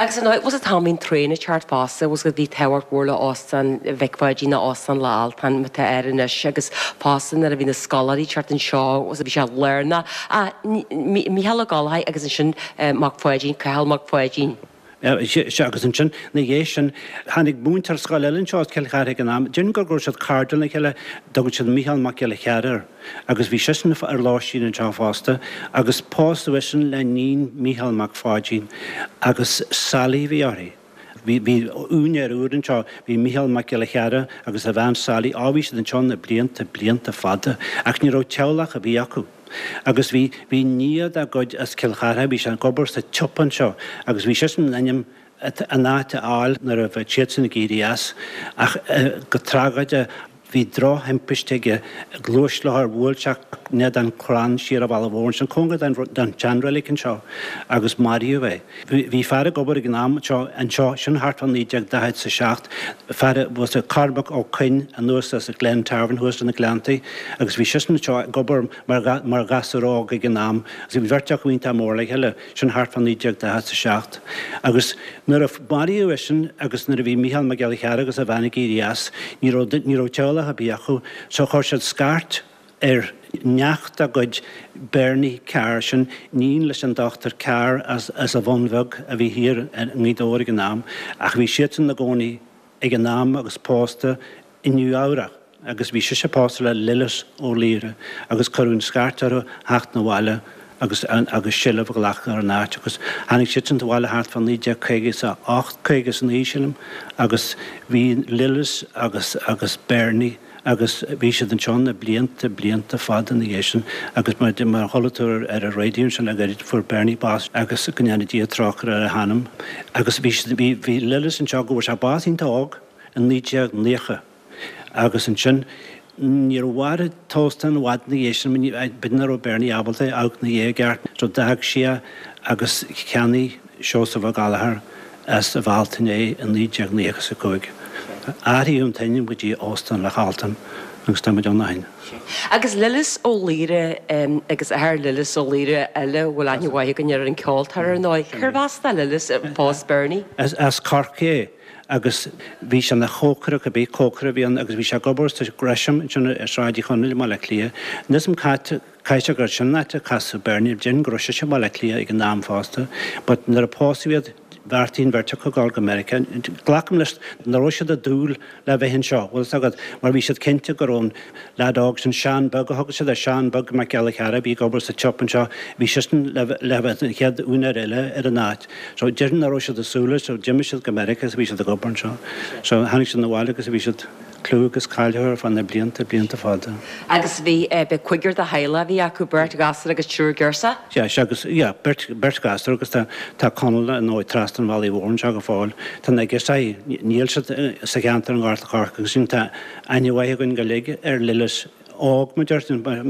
Agus ar ndóigh, bhfuil 's agat an t-am a bhí an traein ag teacht fosta, bhfuil 's agat bhí tábhacht mhór le Óstán Mhic Pháidín nó Óstán Loch Altan mar atá air anois agus fosta nuair a bhí na scoláirí ag teacht anseo, bhfuil 's agat bhí sé lárnach. Ah, Mícheál Ó Gallchóir agus ansin Mac Pháidín, Cathal Mac Pháidín. Sea, agus ansin, ina dhiaidh sin, tháinig múinteoir scoile eile anseo as Cill Chartha ag an am, déarfainn go raibh siad cairdiúil lena chéile, dtugann siad Mícheál Mac Giolla Chearra air, agus bhí seisean ar lóistín anseo fosta, agus pósadh eisean le níon Mícheál Mac Pháidín, agus Sally a bhí uirthi. Bhí, bhí úinéir úr anseo, bhí Mícheál Mac Giolla Chearra agus a bhean Sally, á bhí siad anseo na blianta, blianta fada, ach ní raibh teaghlach ar bith acu. Agus bhí, bhí nia dá gcuid as Cill Chartha, bhí sé ag obair sa tsiopa anseo agus bhí seisean in ainm an áit a fháil nuair a bheadh siadsan ag éirí as. Ach go tragóideach bhí drochthimpiste aige, gluaisrothar, bhuail sé in éadan crann siar an bhealaigh mhór ansin, cóngar don tseanreilig anseo agus maraíodh é. Bhí fear ag obair ag an am seo anseo, sin thart fá 1947, fear a bhfuil 's Cormac Ó Coinn anuas as Glen Tarvin thuas sna Gleanntaí agus bhí seisean anseo ag obair mar mar ghasúr óg ag an am agus bhí beirt acu iontach mór le chéile, sin thart fá 1947. Agus nuair a maraíodh eisean agus nuair a bhí Mícheál Mac Giolla Chearra agus a bhean ag éirí as, ní raibh ní raibh teaghlach ar bith acu so chuir siad scairt ar neacht dá gcuid Bernie Carr, sin níon leis an Dochtúir Carr as as an Bhun Bheag a bhí thiar i nGaoth Dobhair ag an am, ach bhí siadsan ina gcónaí ag an am agus pósta i Nua Eabhrach agus bhí sise pósta le Lillis Ó Laoire agus cuireadh an scairt orthu theacht 'na bhaile agus agus seilbh a ghlacadh ar an áit agus tháinig siadsan abhaile thart fá 1958, 59 sílim agus bhí Lillis agus agus Bernie agus bhí siad anseo na blianta, blianta fada ina dhiaidh sin agus mar mar a chuala tú ar an raidió ansin le gairid, fuair Bernie bás agus go ndéana Dia trócaire ar a hanam agus bhí siad, bhí, bhí Lillis anseo go bhfuair sé bás iontach óg in 1990 agus ansin. Níor mhair an t-óstán i bhfad ina dhiaidh sin, b'fhéidir nach raibh Bernie ábalta amharc ina dhiaidh i gceart, so d'fhág sé é agus cheannaigh Seosamh Ó Gallchóir as an Bhealtaine é i 1995. Athraíodh an t-ainm go dtí Óstán Loch Altan agus tá muid ann ó shin. Agus Lillis Ó Laoire agus athair Lillis Ó Laoire eile a bhfuil aithne mhaith againn air an ceoltóir ar ndóigh. Cérbh as do Lillis a phós Bernie? As Corcaigh é agus bhí sé ina chócaire, cibé cócaire a bhí ann agus bhí sé ag obair sa Gresham ansin ar Sráid Uí Chonaill i mBaile Átha Cliath. Níl 'fhios a'm cá caithfidh sé gur sin an áit a casadh Bernie, déarfainn go raibh sise i mBaile Átha Cliath ag an am fosta but nuair a pósadh iad bheartaigh an bheirt acu dul go Meiriceá. Glacaim leis nach raibh siad ag dúil le bheith anseo, bhfuil 'fhios agat, mar bhí siad cinnte go raibh an leaid óg sin, Seán Beag a thugadh siad air, Seán Beag Mac Giolla Chearra a bhí ag obair sa tsiopa anseo, bhí seisean le le bheith an chéad úinéir eile ar an áit. So déarfainn nach raibh siad ag súil leis, so d'imigh siad go Meiriceá agus bhí siad ag obair anseo. So tháinig siad 'na bhaile agus bhí siad clú agus cáil orthu ar feadh na blianta, blianta fada. Agus bhí, b'é cúigear de theaghlach a bhí acu, beirt ghasúr agus triúr girseach? Yeah, sea agus, yeah, beirt, beirt ghasúr agus tá, tá Conall ar ndóigh trasna an bhealaigh mhóir anseo go fóill. Tá na girseachaí, níl siad sa cheantar i nGort a' Choirce agus sin tá aithne mhaith againn go uilig ar Lillis óg, mar deir,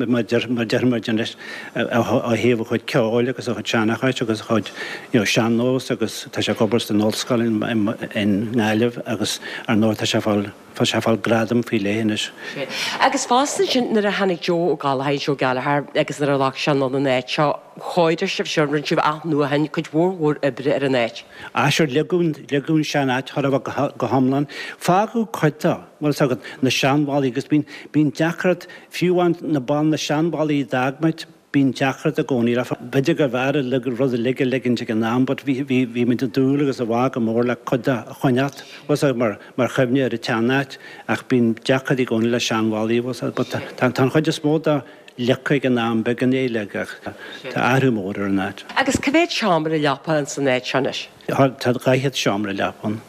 mar deir, mar deir muid anois, ó thaobh a chuid ceoil agus a chuid seanchais agus a chuid, you know, sean-nós agus tá sé ag obair san ollscoil in, i nGaillimh agus ar ndóigh tá sé ag fáil, Tá sé ag fáil gradam faoi leith anois. Agus fosta ansin nuair a tháinig Joe Ó Gallchóir, Joe Gallagher, agus nuair a ghlac sé anonn an áit seo, chóirigh sibh seo, rinne sibh athnuachan, cuid mhór mhór oibre ar an áit. Ah sure, leagadh, leagadh an sean-áit chóir a bheith go hiomlán. Fágadh cuid de, bhfuil 'fhios agat, na seanbhallaí agus bíonn, bíonn deacracht, fiú amháin na ball, na seanbhallaí a d'fhág muid, Bíonn deacracht i gcónaí le, b'fhéidir gurbh fhearr rud uilig a ligint ag an am but bhí, bhí, bhí muid ag dúil agus ag bá go mór le cuid de a choinneáilt, bhfuil 'fhios agat, mar, mar chuimhne ar an tsean-áit ach bíonn deacracht i gcónaí le seanbhallaí, bhfuil 'fhios agat, but tá, tá an chuid is mó de leagtha ag an am, beagán uilig ach tá athrú mór ar an áit. Agus cá mhéad seomra leapa ins an áit seo anois? Tá 40 seomra leapa ann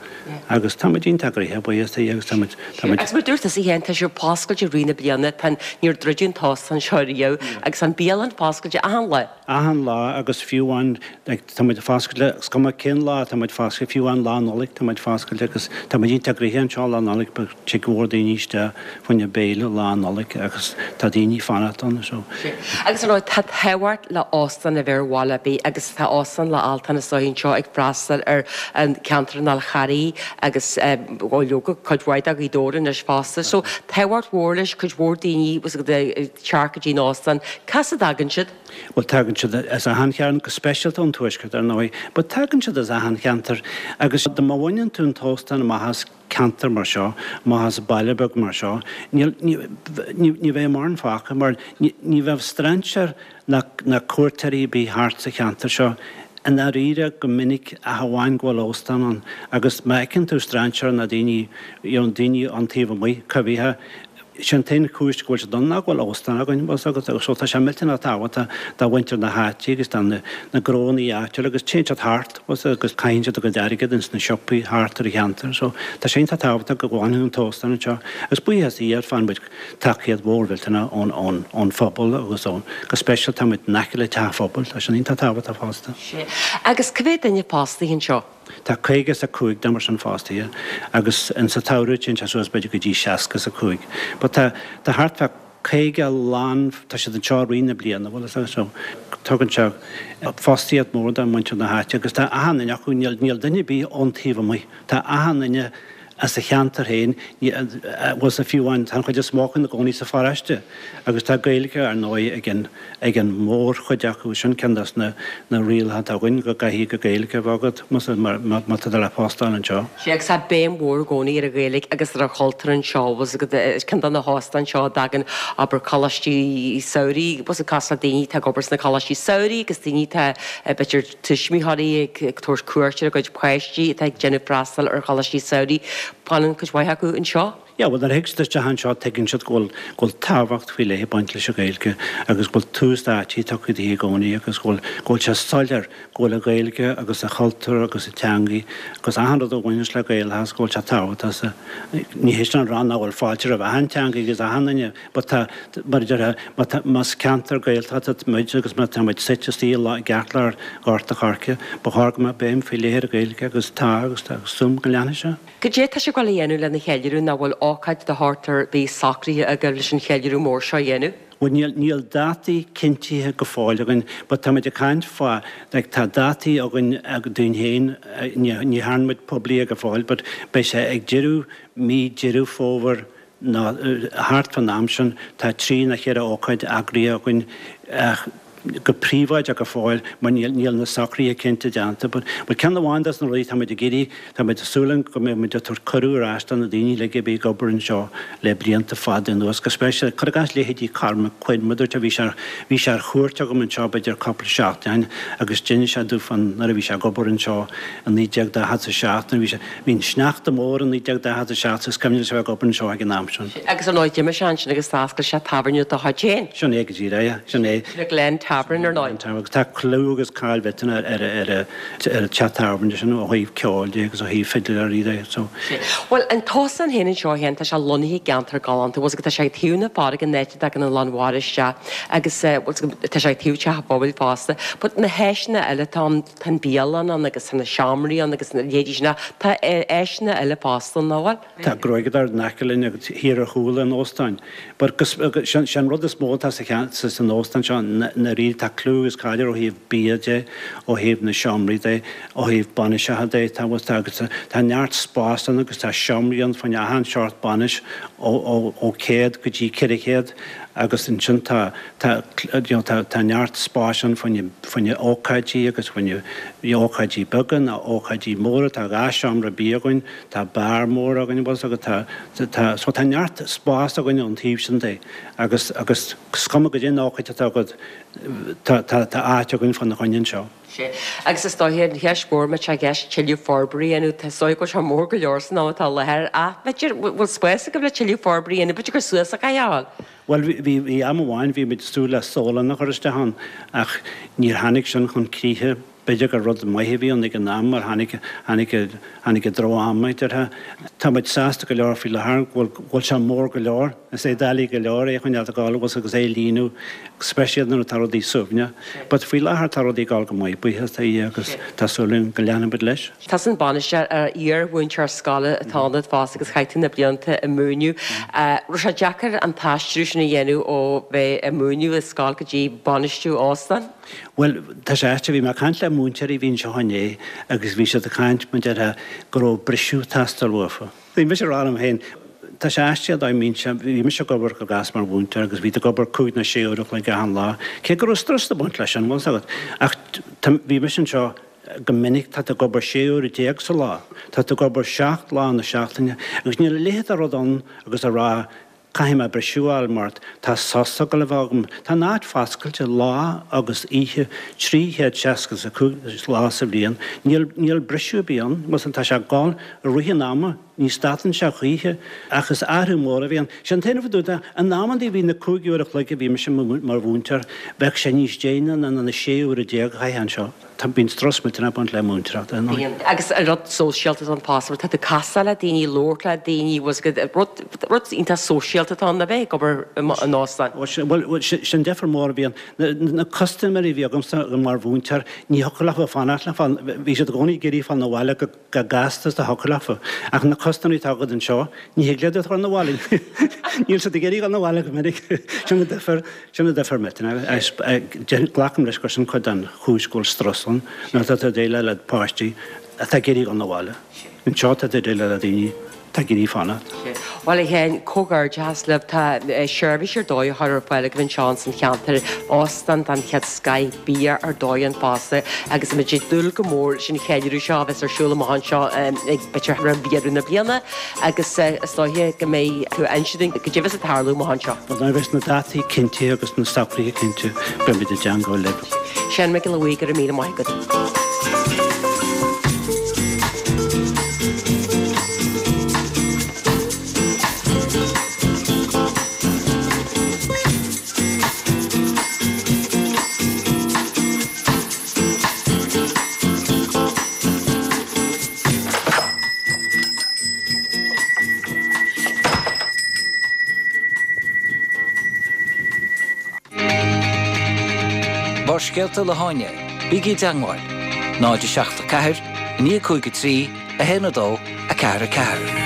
agus tá muid iontach gnoitheach, buíochas do Dhia agus tá muid, tá muid. Agus mar a dúirt tusa féin, tá sibh foscailte i rith na bliana, tá an, níor druideadh an t-óstán seo riamh agus tá an bhialann foscailte achan lá. Achan lá agus fiú amháin, like, tá muid foscailte, is cuma cén lá tá muid foscailte, fiú amháin Lá Nollag tá muid foscailte agus tá muid iontach gnoitheach anseo Lá Nollag, tig go leor daoine isteach fá choinne béile Lá Nollag agus tá daoine ag fanacht ann so. Agus ar ndóigh tá tábhacht le óstán a bheith ar bhaile ar bith agus tá Óstán Loch Altan is dóigh anseo ag freastal ar an ceantar an Fhál Charraigh agus ó leoga cuid mhaith de Ghaoth Dobhair anois fosta. So tábhacht mhór leis, cuid mhór daoine ag teacht go dtí an óstán. Cá as a dtagann siad? Bhuel tagann siad as achan chearn, go speisialta ón tuaisceart ar ndóigh, but tagann siad as achan cheantar agus dá má bhaineann tú an t-óstán amach as ceantar mar seo, amach as baile beag mar seo, níl, ní, ní bheidh mórán fágtha mar ní, ní bheadh strainséir ná, ná cuairteoirí ar bith thart sa cheantar seo i ndáiríre go minic ach amháin go bhfuil óstán ann agus má fheiceann tú strainséir ná daoine, you know, daoine ón taobh amuigh, coimhthíocha, Sé an t-aon chúis go bhfuil siad ann ná go bhfuil óstán againn, bhfuil 's agat, so tá sé millteanach tábhachtach do mhuintir na háite agus do na gnónnaí áitiúla agus téann siad thart, bhfuil 's agat, agus caitheann siad a gcuid airgead ins na siopaí thart ar an cheantar. So tá sé iontach tábhachtach go bhfanfaidh an t-óstán anseo agus buíochas do Dhia faigheann muid tacaíocht mhór mhillteanach ón, ón, ón phobal agus ón, go speisialta tá muid in aice le teach phobail, tá sin iontach tábhachtach fosta. Sea. Agus cá mhéad duine fostaithe anseo? Tá 55 duine mar sin fostaithe agus in sa tsamhradh téann sé suas b'fhéidir go dtí 65. But tá tá thart fá 50 lán tá siad anseo i rith na bliana bhfuil 'fhios agat so tugann sé fostaíocht mhór do mhuintir na háite agus tá achan duine acu níl níl duine ar bith ón taobh amuigh tá achan duine as a cheantar féin, bhfuil 's fiú amháin, tá an chuid is mó acu ina gcónaí sa pharóiste agus tá Gaeilge, ar ndóigh, ag an ag an mórchuid acu. Sin ceann des na na rialacha atá againn, go gcaithfidh Gaeilge a bheith agat más má tá tú le post a fháil anseo. Sea, agus tá béim mhór i gcónaí ar an Ghaeilge agus ar an chultúr anseo, bhfuil 's agat, is ceann de na hóstáin seo a dtagann, abair, coláistí samhraidh, bhfuil 's agat, cosúil le daoine atá ag obair sna coláistí samhraidh agus daoine atá, b'fhéidir, tuismitheoirí ag tabhairt cuairt ar a gcuid páistí atá ag déanamh freastal ar choláistí samhraidh. Fanann cuid mhaith acu anseo. Yeah, bhuel, nuair a thig siad isteach anseo tuigeann siad go bhfuil, go bhfuil tábhacht faoi leith ag baint leis an Ghaeilge agus go bhfuil tús áite tugtha di i gcónaí agus go bhfuil, go bhfuil sé soiléir go bhfuil an Ghaeilge agus an chultúr agus an teangaidh agus achan rud a bhaineanns le Gaelachas go bhfuil sé tábhachtach sa, ní hé sin a rá nach bhfuil fáilte roimh achan teangaidh agus achan duine But tá, mar a déarfá, má tá, más ceantar Gaeltachta muid agus má tá muid suite istigh i gceartlár Ghort a' Choirce, ba chóir go mbeadh béim faoi leith ar an Ghaeilge agus tá agus tá agus súil go leanfaidh sé. Cad é tá sibh ag gabháil a dhéanamh lena cheiliúradh nach bhfuil. ócáid de shórt ar bith socraithe agaibh leis an cheiliúradh mór seo a dhéanamh? Bhuel níl, níl dátaí cinntithe go fóill againn but táimid ag caint fá, like tá dátaí againn dúinn féin, ní, ní dhearna muid poiblí go fóill but beidh sé ag deireadh mí Deireadh Fómhair nó thart fán am sin, tá trí nó cheithre ócáid eagraithe againn ach go príobháideach go fóill mar níl, níl na socruithe cinnte déanta. But, but ceann amháin dos na rudaí tá muid ag iarraidh, tá muid ag súil go mbeidh muid ag tabhairt cuireadh ar ais do na daoine uilig a bhí ag obair anseo le blianta fada anuas, go speisialta, cuir i gcás leithéidí Cormac Quinn, mar dúirt bhí sé, bhí sé ar chuairt agam anseo b'fhéidir cúpla seachtain agus d'inis sé domh fán nuair a bhí sé ag obair anseo i 1947 nuair a bhí sé, Bhí an sneachta mór i 1947 is cuimhin leis a bheith ag obair anseo ag an am sin. Agus ar ndóigh d'imigh sé ansin agus d'oscail sé tábhairne dá chuid féin. Sin é go díreach, yeah, sin é. The Glen Tavern ar ndóigh. Glen Tavern agus tá clú agus cáil mhillteanach ar ar ar an teach tábhairne sin ó thaobh ceoil de agus ó thaobh fidléirí de so. Bhuel an t-óstán féin anseo féin tá sé lonnaithe i gceantar galánta bhfuil 's agat tá sé ag taobh na farraige an áit a dtagann an lán mhara isteach agus bhfuil 's agat tá sé ag taobh teach an phobail fosta but na háiseanna eile atá ann Tá an bhialann ann agus tá na seomraí ann agus na leithéidí sin ach tá áiseanna eile fosta ann, nach bhfuil? Tá gruaigeadóir in aice linn agus thiar ar chúl an óstáin. But sé an rud is mó atá sa san óstán seo ndáiríre tá clú agus cáil air ó thaobh bia de, ó thaobh na seomraí de, ó thaobh bainiseacha de, tá tá agus tá neart spás ann agus tá seomraí ann fá choinne achan seort bainis ó ó ó 100 go dtí 400 agus ansin tá Tá, you know, tá, tá neart spáis ann fá choinne, fá choinne ócáidí agus fá choinne ócáidí beaga nó ócáidí móra. Tá 2 seomra bia againn, tá beár mór againn, bhfuil 's agat, tá, tá, so tá neart spás againn ón taobh sin de agus, agus is cuma goidé an ócáid atá agat, tá, tá, tá áit againn fá na choinne anseo. Sea. Agus is dóiche, an cheist mhór, má tá i gceist tuilleadh forbartha a dhéanamh, tá, is dóiche go bhfuil sé mór go leor san am atá i láthair ach b'fhéidir, bhfuil spás agaibh le tuilleadh forbartha a dhéanamh, b'fhéidir gur suas a chaithfeá a ghabháil? Bhuel, bhí, bhí am amháin, bhí muid ag súil le sólann a chur isteach ann ach níor tháinig sin chun críche. B'fhéidir gur rud maith a bhí ann ag an am mar tháinig, tháinig, tháinig an droch-am, a déarfá. Tá muid sásta go leor faoi láthair go bhfuil, go bhfuil sé mór go leor. Is é doiligh go leor é a choinneáil ag gabháil agus agus é a líonadh, speisialta nuair atá rudaí suaimhneach. But faoi láthair tá rudaí ag gabháil go maith, buíochas do Dhia agus tá súil againn go leanfaidh muid leis. Tusa an bainisteoir ar iar-mhúinteoir scoile atá ionat fosta agus chaith tú na blianta ag múineadh. Raibh sé deacair an t-aistriú sin a dhéanamh ó bheith ag múineadh i scoil go dtí bainistiú óstán? Bhuel, tá sé aisteach, bhí mé ag caint le múinteoirí a bhí anseo inné agus bhí siad ag caint, mar déarfá, go raibh briseadh ag teastáil uafa. Bhí mise ag rá liom féin, tá sé aisteach dá mbeinnse, bhí mise ag obair go gasta mar mhúinteoir agus bhí tú ag obair cúig nó sé uair a chloig achan lá, cé go raibh strus ag baint leis sin, bhfuil 's agat, ach bhí mise anseo, Go minic tá tú ag obair 16 uair sa lá, tá tú ag obair 7 lá na seachtaine agus níl a leithéid de rud ann agus a rá caithfidh mé briseadh a fháil mar tá sos ag dul a bheith agam. Tá an áit foscailte lá agus oíche 365 lá sa bhliain. Níl, níl briseadh ar bith ann. Bhuel, tá sé ag dul i rith an ama, ní stadann sé choíche ach is athrú mór a bhí ann. Sé an t-aon rud a in amantaí bhí na cúig uair a chloig a bhí mise mar mhúinteoir, bheadh sé níos déine ná na 16 uair a chaithfeá anseo. Tá, bíonn strus millteanach ag baint le múinteoireacht, ar ndóigh. Bíonn. Agus an rud sóisialta atá ann fosta, mar tá tú ag casadh le daoine, labhairt le daoine, bhfuil 's agat, rud, rud iontach sóisialta atá ann a bheith ag obair in óstán. Bhuel, sin difear mór a bhíonn. Na custaiméirí a bhí agamsa mar mhúinteoir, ní thiocfadh leofa fanacht le fáil, bhí siad i gcónaí ag iarraidh fáil 'na bhaile go gasta is a thiocfadh leofa. Ach na custaiméirí atá agat anseo, ní thig leat iad a chur 'na bhaile. Níl siad ag iarraidh dul 'na bhaile go minic. Sin an difear. Sin an difear millteanach. Glacaim leis gur sin cuid den chúis go bhfuil strus ann, nuair atá tú ag déileáil le páistí atá ag iarraidh dul 'na bhaile. Anseo tá tú ag déileáil le daoine atá ag iarraidh fanacht. Bhuel, a Sheáin, comhghairdeachas libh. Tá seirbhís ar dóigh á chur ar fáil agaibh anseo ins an cheantar, óstán den chéad scoith, bia ar dóigh ann fosta agus muid ag dúil go mór leis an cheiliúradh seo a bheas ar siúl amach anseo ag b'fhéidir roimh dheireadh na bliana agus is dóiche go mbeidh tú ag inse dúinn goidé a bheas ag tarlú amach anseo. Bhuel, nuair a bheas na dátaí cinnte agus na socruithe cinnte, beidh muid i dteangmháil libh. Seán Mac Giolla Bhuí, go raibh míle maith agat. Barrscéalta le hÁine, bígí i dteangmháil, 0 7 4 9 5 3 1 2 4 4.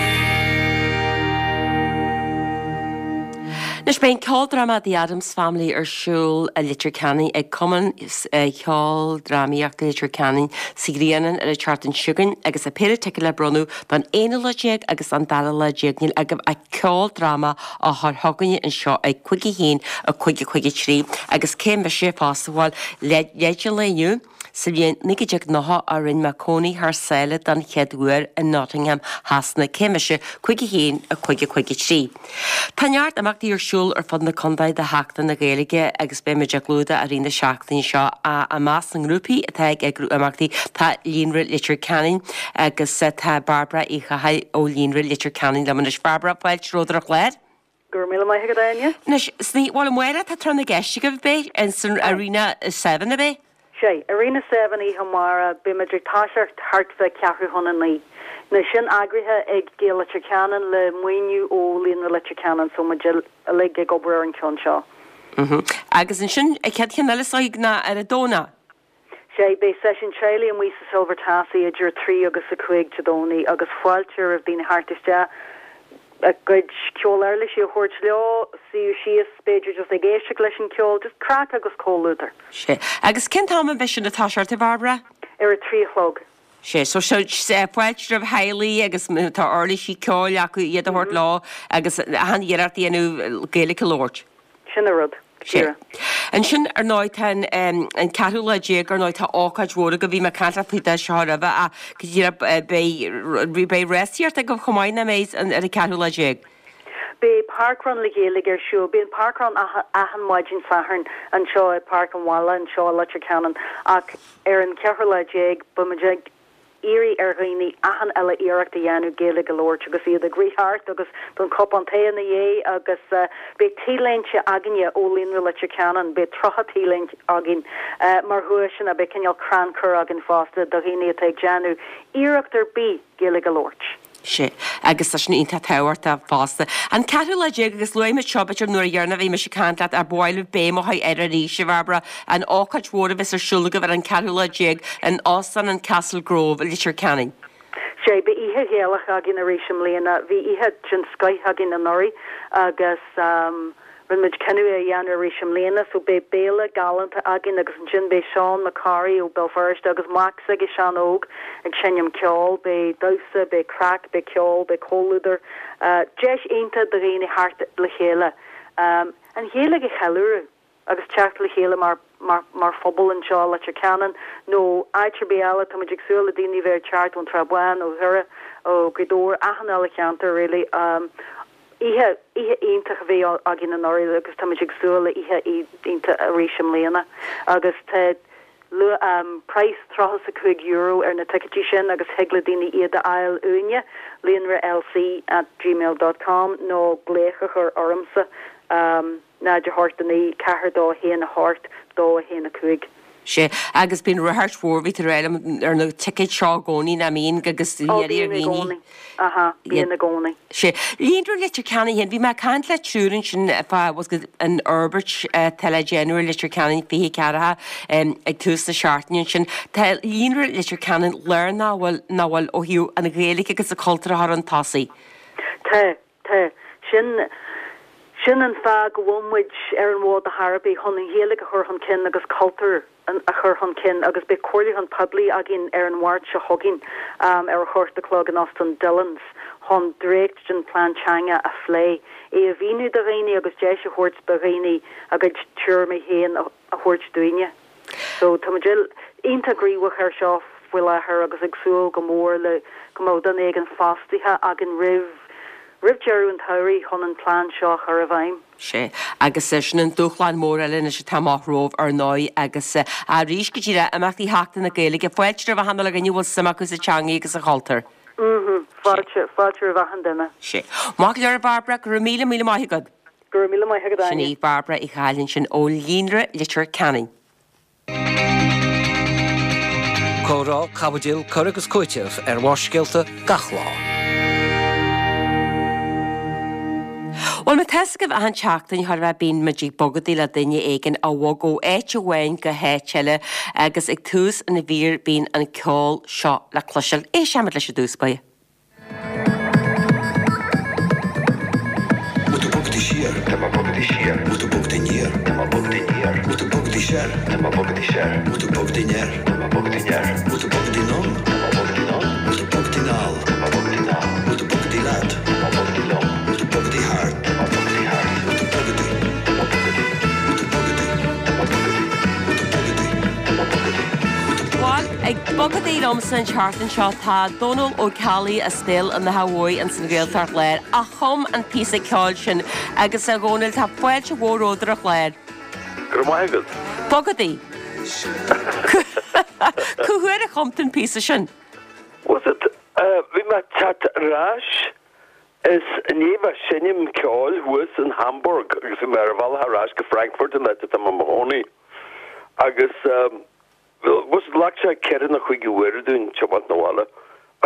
Anois beidh an ceoldráma The Addams Family ar siúl i Leitir Ceanainn ag Cumann Ceoldrámaíochta Leitir Ceanainn sa Ghrianán ar an tseachtain seo chugainn agus tá péire ticéad le bronnadh don aonú lá déag agus don dara lá déag. Níl agaibh ach ceoldráma a chur chugainne anseo ag 5 1 5 5 3 agus cé mise fosta bhuel leid an lae inniu. Sa bhliain 1990 a rinne mé cónaí thar sáile don chéad uair i Nottingham, Shasana. Cé mise? 5 1 5 5 3. Tá neart imeachtaí ar siúl ar fud na contae do Sheachtain na Gaeilge agus beidh muid á gclúdach i rith na seachtaine seo. I measc na ngrúpaí atá ag eagrú imeachtaí tá Líonra Leitir Ceanainn agus tá Bairbre Uí Chathail ó Líonra Leitir Ceanainn liom anois. Bairbre, fáilte romhat ar an chlár. Go raibh míle maith agat, Áine. Anois, sna, bhuel, amárach tá Tráth na gCeist agaibh, beidh, in san Arena Seven, ab é? Sea, Arena Seven oíche amárach, beidh muid ag toiseacht thart fá ceathrú chun a naoi. Now, sin eagraithe ag Gaeil Leitir Ceanainn le maoiniú ó Líonra Leitir Ceanainn, so muid uilig ag obair ar an cheann seo. Agus ansin, an chéad cheann eile is dóigh ná ar an Domhnach. Sea, beidh seisiún teaghlaigh amuigh sa Silver Tassie idir 3 agus 5 Dé Domhnaigh agus fáilte roimh daoine theacht isteach, a gcuid ceol-uirlisí a thabhairt leo, suí síos b'fhéidir just ag éisteacht leis an ceol, just craic agus comhluadar. Sea. Agus cén t-am a bheidh sin ag toiseacht, a Bhairbre? Ar a 3 a chlog. Sea, so fáilte roimh theaghlaigh agus má tá uirlisí ceoil acu iad a thabhairt leo agus achan iarracht a dhéanamh Gaeilge a labhairt. Sin an rud, Sea. Ansin, ar ndóigh, tá an ceathrú lá déag, ar ndóigh, tá ócáid mhór agaibh, bhí mé ag caint leat faoi seo roimhe ach go díreach beidh, beidh rásaíocht agaibh chomh maith, nach mbeidh, ar an ceathrú lá déag? Beidh Parkrun le Gaeilge ar siúl. Bíonn Parkrun achan maidin Sathairn anseo i Páirc an Bhaile anseo i Leitir Ceanainn ach ar an cheathrú lá déag beidh muid ag iarraidh ar dhaoine achan uile iarracht a dhéanamh Gaeilge a labhairt agus iad ag rith thart agus don cupán tae ina dhiaidh agus beidh t-léinte againne ó Líonra Leitir Ceanainn, beidh 30 t-léinte againn mar dhuaiseanna, beidh cineál crannchur againn fosta do dhaoine atá ag déanamh iarracht ar bith Gaeilge a labhairt. Sea, agus tá sin iontach tábhachtach fosta. An ceathrú lá déag, agus luaigh muid seo b'fhéidir nuair a dheireanach a bhí mise ag caint leat, ach ba mhaith liom béim a chur air arís, a Bhairbre, an ócáid mhór a bheas ar siúl agaibh ar an ceathrú lá déag in Óstán an Castle Grove i Leitir Ceanainn. Sea, beidh oíche Ghaelach againn arís i mbliana. Bhí oíche den scoith againn anuraidh agus Rinne muid cinneadh é a dhéanamh arís i mbliana so beidh béile galánta againn agus ansin beidh Seán Mac Corraidh ó Béal Feirste agus mac s'aige Seán Óg ag seinm ceoil. Beidh damhsa, beidh craic, beidh ceol, beidh comhluadar. Deis iontach do dhaoine theacht le chéile, an Ghaeilge a cheiliúradh agus teacht le chéile mar mar phobal anseo i Leitir Ceanainn nó áit ar bith eile. Tá muid ag súil le daoine a bheith ag teacht ón Tsrath Bhán, ó Dhoire, ó Ghaoth Dobhair, achan uile cheantar really. Oíche, oíche iontach a bhí againn anuraidh agus táimid ag súil le oíche iontach arís i mbliana. Agus tá praghas €35 ar na ticéidí sin agus thig le daoine iad a fháil uainne, líonra lc at gmail dot com nó glaoch a chur ormsa. 0 8 9 4 2 1 8 2 1 5. Sea, agus bíonn ráchairt mhór, bhí tú ag rá liom, ar na ticéid seo i gcónaí, nach mbíonn, agus Ó, bíonn i gcónaí. Aha, bíonn i gcónaí. Sea. Líonra Leitir Ceanainn féin, bhí mé ag caint le triúr ansin fá, bhfuil fhios agat, an fhorbairt atá le déanamh ar Leitir Ceanainn 24 ag tús na seachtaine ansin. Tá Líonra Leitir Ceanainn lárnach, bhfuil, nach bhfuil, ó thaobh an Ghaeilge agus an cultúr a chur chun tosaigh. Tá. Tá. Sin, sin an fáth go bhfuil muid ar an bhfód ar chor ar bith, chun an Ghaeilge a chur chun cinn agus cultúr a chur chun cinn agus beidh comhairliúchán poiblí againn ar an Mháirt seo chugainn ar a hocht a chlog in Óstán Dillon's chun dréacht den plean teanga a phlé, é a mhíniú do dhaoine agus deis a thabhairt do dhaoine a gcuid tuairimí féin a thabhairt dúinne. So tá muid iontach gníomhach air seo faoi láthair agus ag súil go mór le go mbeadh duine éigin fostaithe againn roimh roimh deireadh an tsamhraidh chun an plean seo a chur i bhfeidhm. Sea, agus sin an dúshlán mór eile anois atá amach romhaibh ar ndóigh agus arís go díreach imeachtaí Sheachtain na Gaeilge, fáilte roimh achan uile dhuine a bhfuil suim acu sa teangaidh agus sa chultúr. Mhm, fáilte, fáilte roimh achan duine. Sea. Maith go leor a Bhairbre, go raibh míle míle maith agat. Go raibh míle maith agat, Sin Áine. í Bairbre Uí Chathail ansin ó Líonra Leitir Ceanainn. Comhrá, caibidil, cur agus cúiteamh ar Bharrscéalta gach lá. Bhuel, má tá's agaibh achan tseachtain chóir a bheith bíonn muid ag bogadaíl le duine éigin a bhog ó áit amháin go háit eile agus ag tús an mhír bíonn an ceol seo le cloisteáil. Éistfimid leis i dtús báire. Bhfuil tú bogadaí siar? Tá mé bogadaí. bogadaí siar? Bhfuil tú bogadaí aniar? Tá mé bogadaí aniar. Bhfuil tú bogadaí soir? Tá mé bogadaí soir. Bhfuil tú bogadaí anoir? Tá mé bogadaí anoir. Bhfuil tú bogadaí anonn? Tá mé bogadaí anonn. Bhfuil tú bogadaí anall? Tá mé bogadaí anall. Bhfuil tú bogadaí leat? Tá mé bogadaí liom. Bhfuil tú bogadaí thart? Tá mé bogadaí thart. Bhfuil tú bogadaí? Tá mé bogadaí. Bhfuil tú bogadaí? Tá mé bogadaí. Bhfuil tú bogadaí? Tá mé bogadaí. Bhfuil tú bogadaí? Bhuel, ag bogadaí liomsa an tseachtain seo tá Dónal Ó Ceallaigh as Béal an Átha Bhuí ins an Ghaeltacht Láir a chum an píosa ceoil sin agus a Dhónaill tá fáilte mhór romhat ar an chlár. Go raibh maith agat. Bogadaí. Cá huair a chum tú an píosa sin? Bhfuil 's agat, bhí mé ag teacht ar ais as i ndiaidh bheith ag seinm ceoil thuas in Hamburg agus bhí mé ar an bhealach ar ais go Frankfurt an áit atá mé i mo chónaí agus bhfuil 's agat ghlac sé ceithre nó cúig uaire dúinn tiomáint 'na bhaile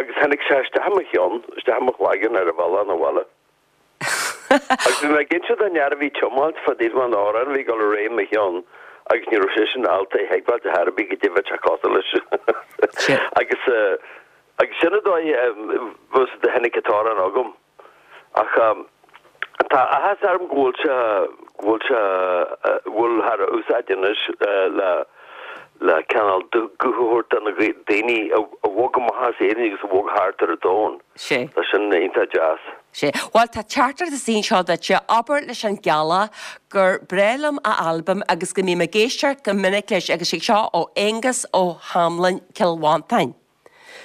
agus tháinig sé isteach i mo cheann, isteach i mo chlaigeann ar an bhealach 'na bhaile. Agus bhí mé ag inse don fhear a bhí ag tiomáint fá dtaobh den amhrán a bhí ag dul ar aghaidh i mo cheann agus ní raibh seisean ábalta é a thuigbheáilt ar chor ar bith goidé a bheadh sé cosúil leis. Agus agus sin an dóigh bhfuil 's agat a tháinig an t-amhrán chugam. Ach tá áthas orm go bhfuil sé go bhfuil sé go bhfuil thar a úsáid anois le le cineál guth a thabhairt do na daoine a bhog amach as Éirinn agus a bhog thart ar an domhan. Sé. Tá sin iontach deas. Sé. Bhuel, tá teachtaireacht istigh anseo duitse, abair leis an gCeallach gur breá liom a albam agus go mbím ag éisteacht go minic leis agus sé seo ó Aonghus Ó hAmlain, Cill Mhantáin.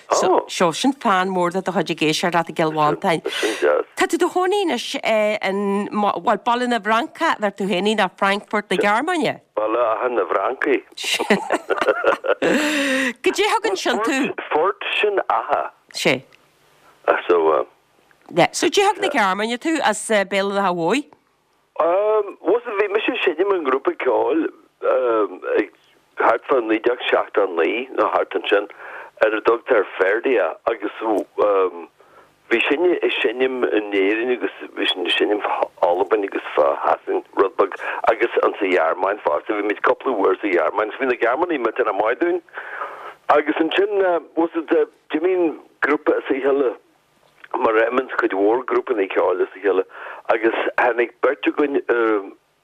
So, so sin fan mór de do chuid ag éisteacht leat i gCill Mhantáin. Sin deas. Tá tú i do chónaí anois in, bhuel, Baile na bhFrancach, a deir tú féin, nó Frankfurt na Gearmáine. Baile Átha na bhFrancaigh. Goidé thug ansin tú? Furt sin Átha. Sé. So. Yeah. So goidé thug na Gearmáine tú as Béal an Átha Bhuí? Bhuel, bhí mise ag seinm i ngrúpa ceoil ag thart fá 1979 nó thart ansin ar a dtugtar Ferdia agus bhí sinne ag seinm in Éirinn agus bhí sinn ag seinm fá Albain agus fá Shasain rud beag agus insa Ghearmáin fosta. Bhí muid cúpla uair sa Ghearmáin agus bhí na Gearmánaigh millteanach maith dúinn. Agus ansin, bhuel, d'imigh an grúpa as a chéile. mar a imíonns cuid mhór grúpanna ceoil as a chéile, agus tháinig beirt againn,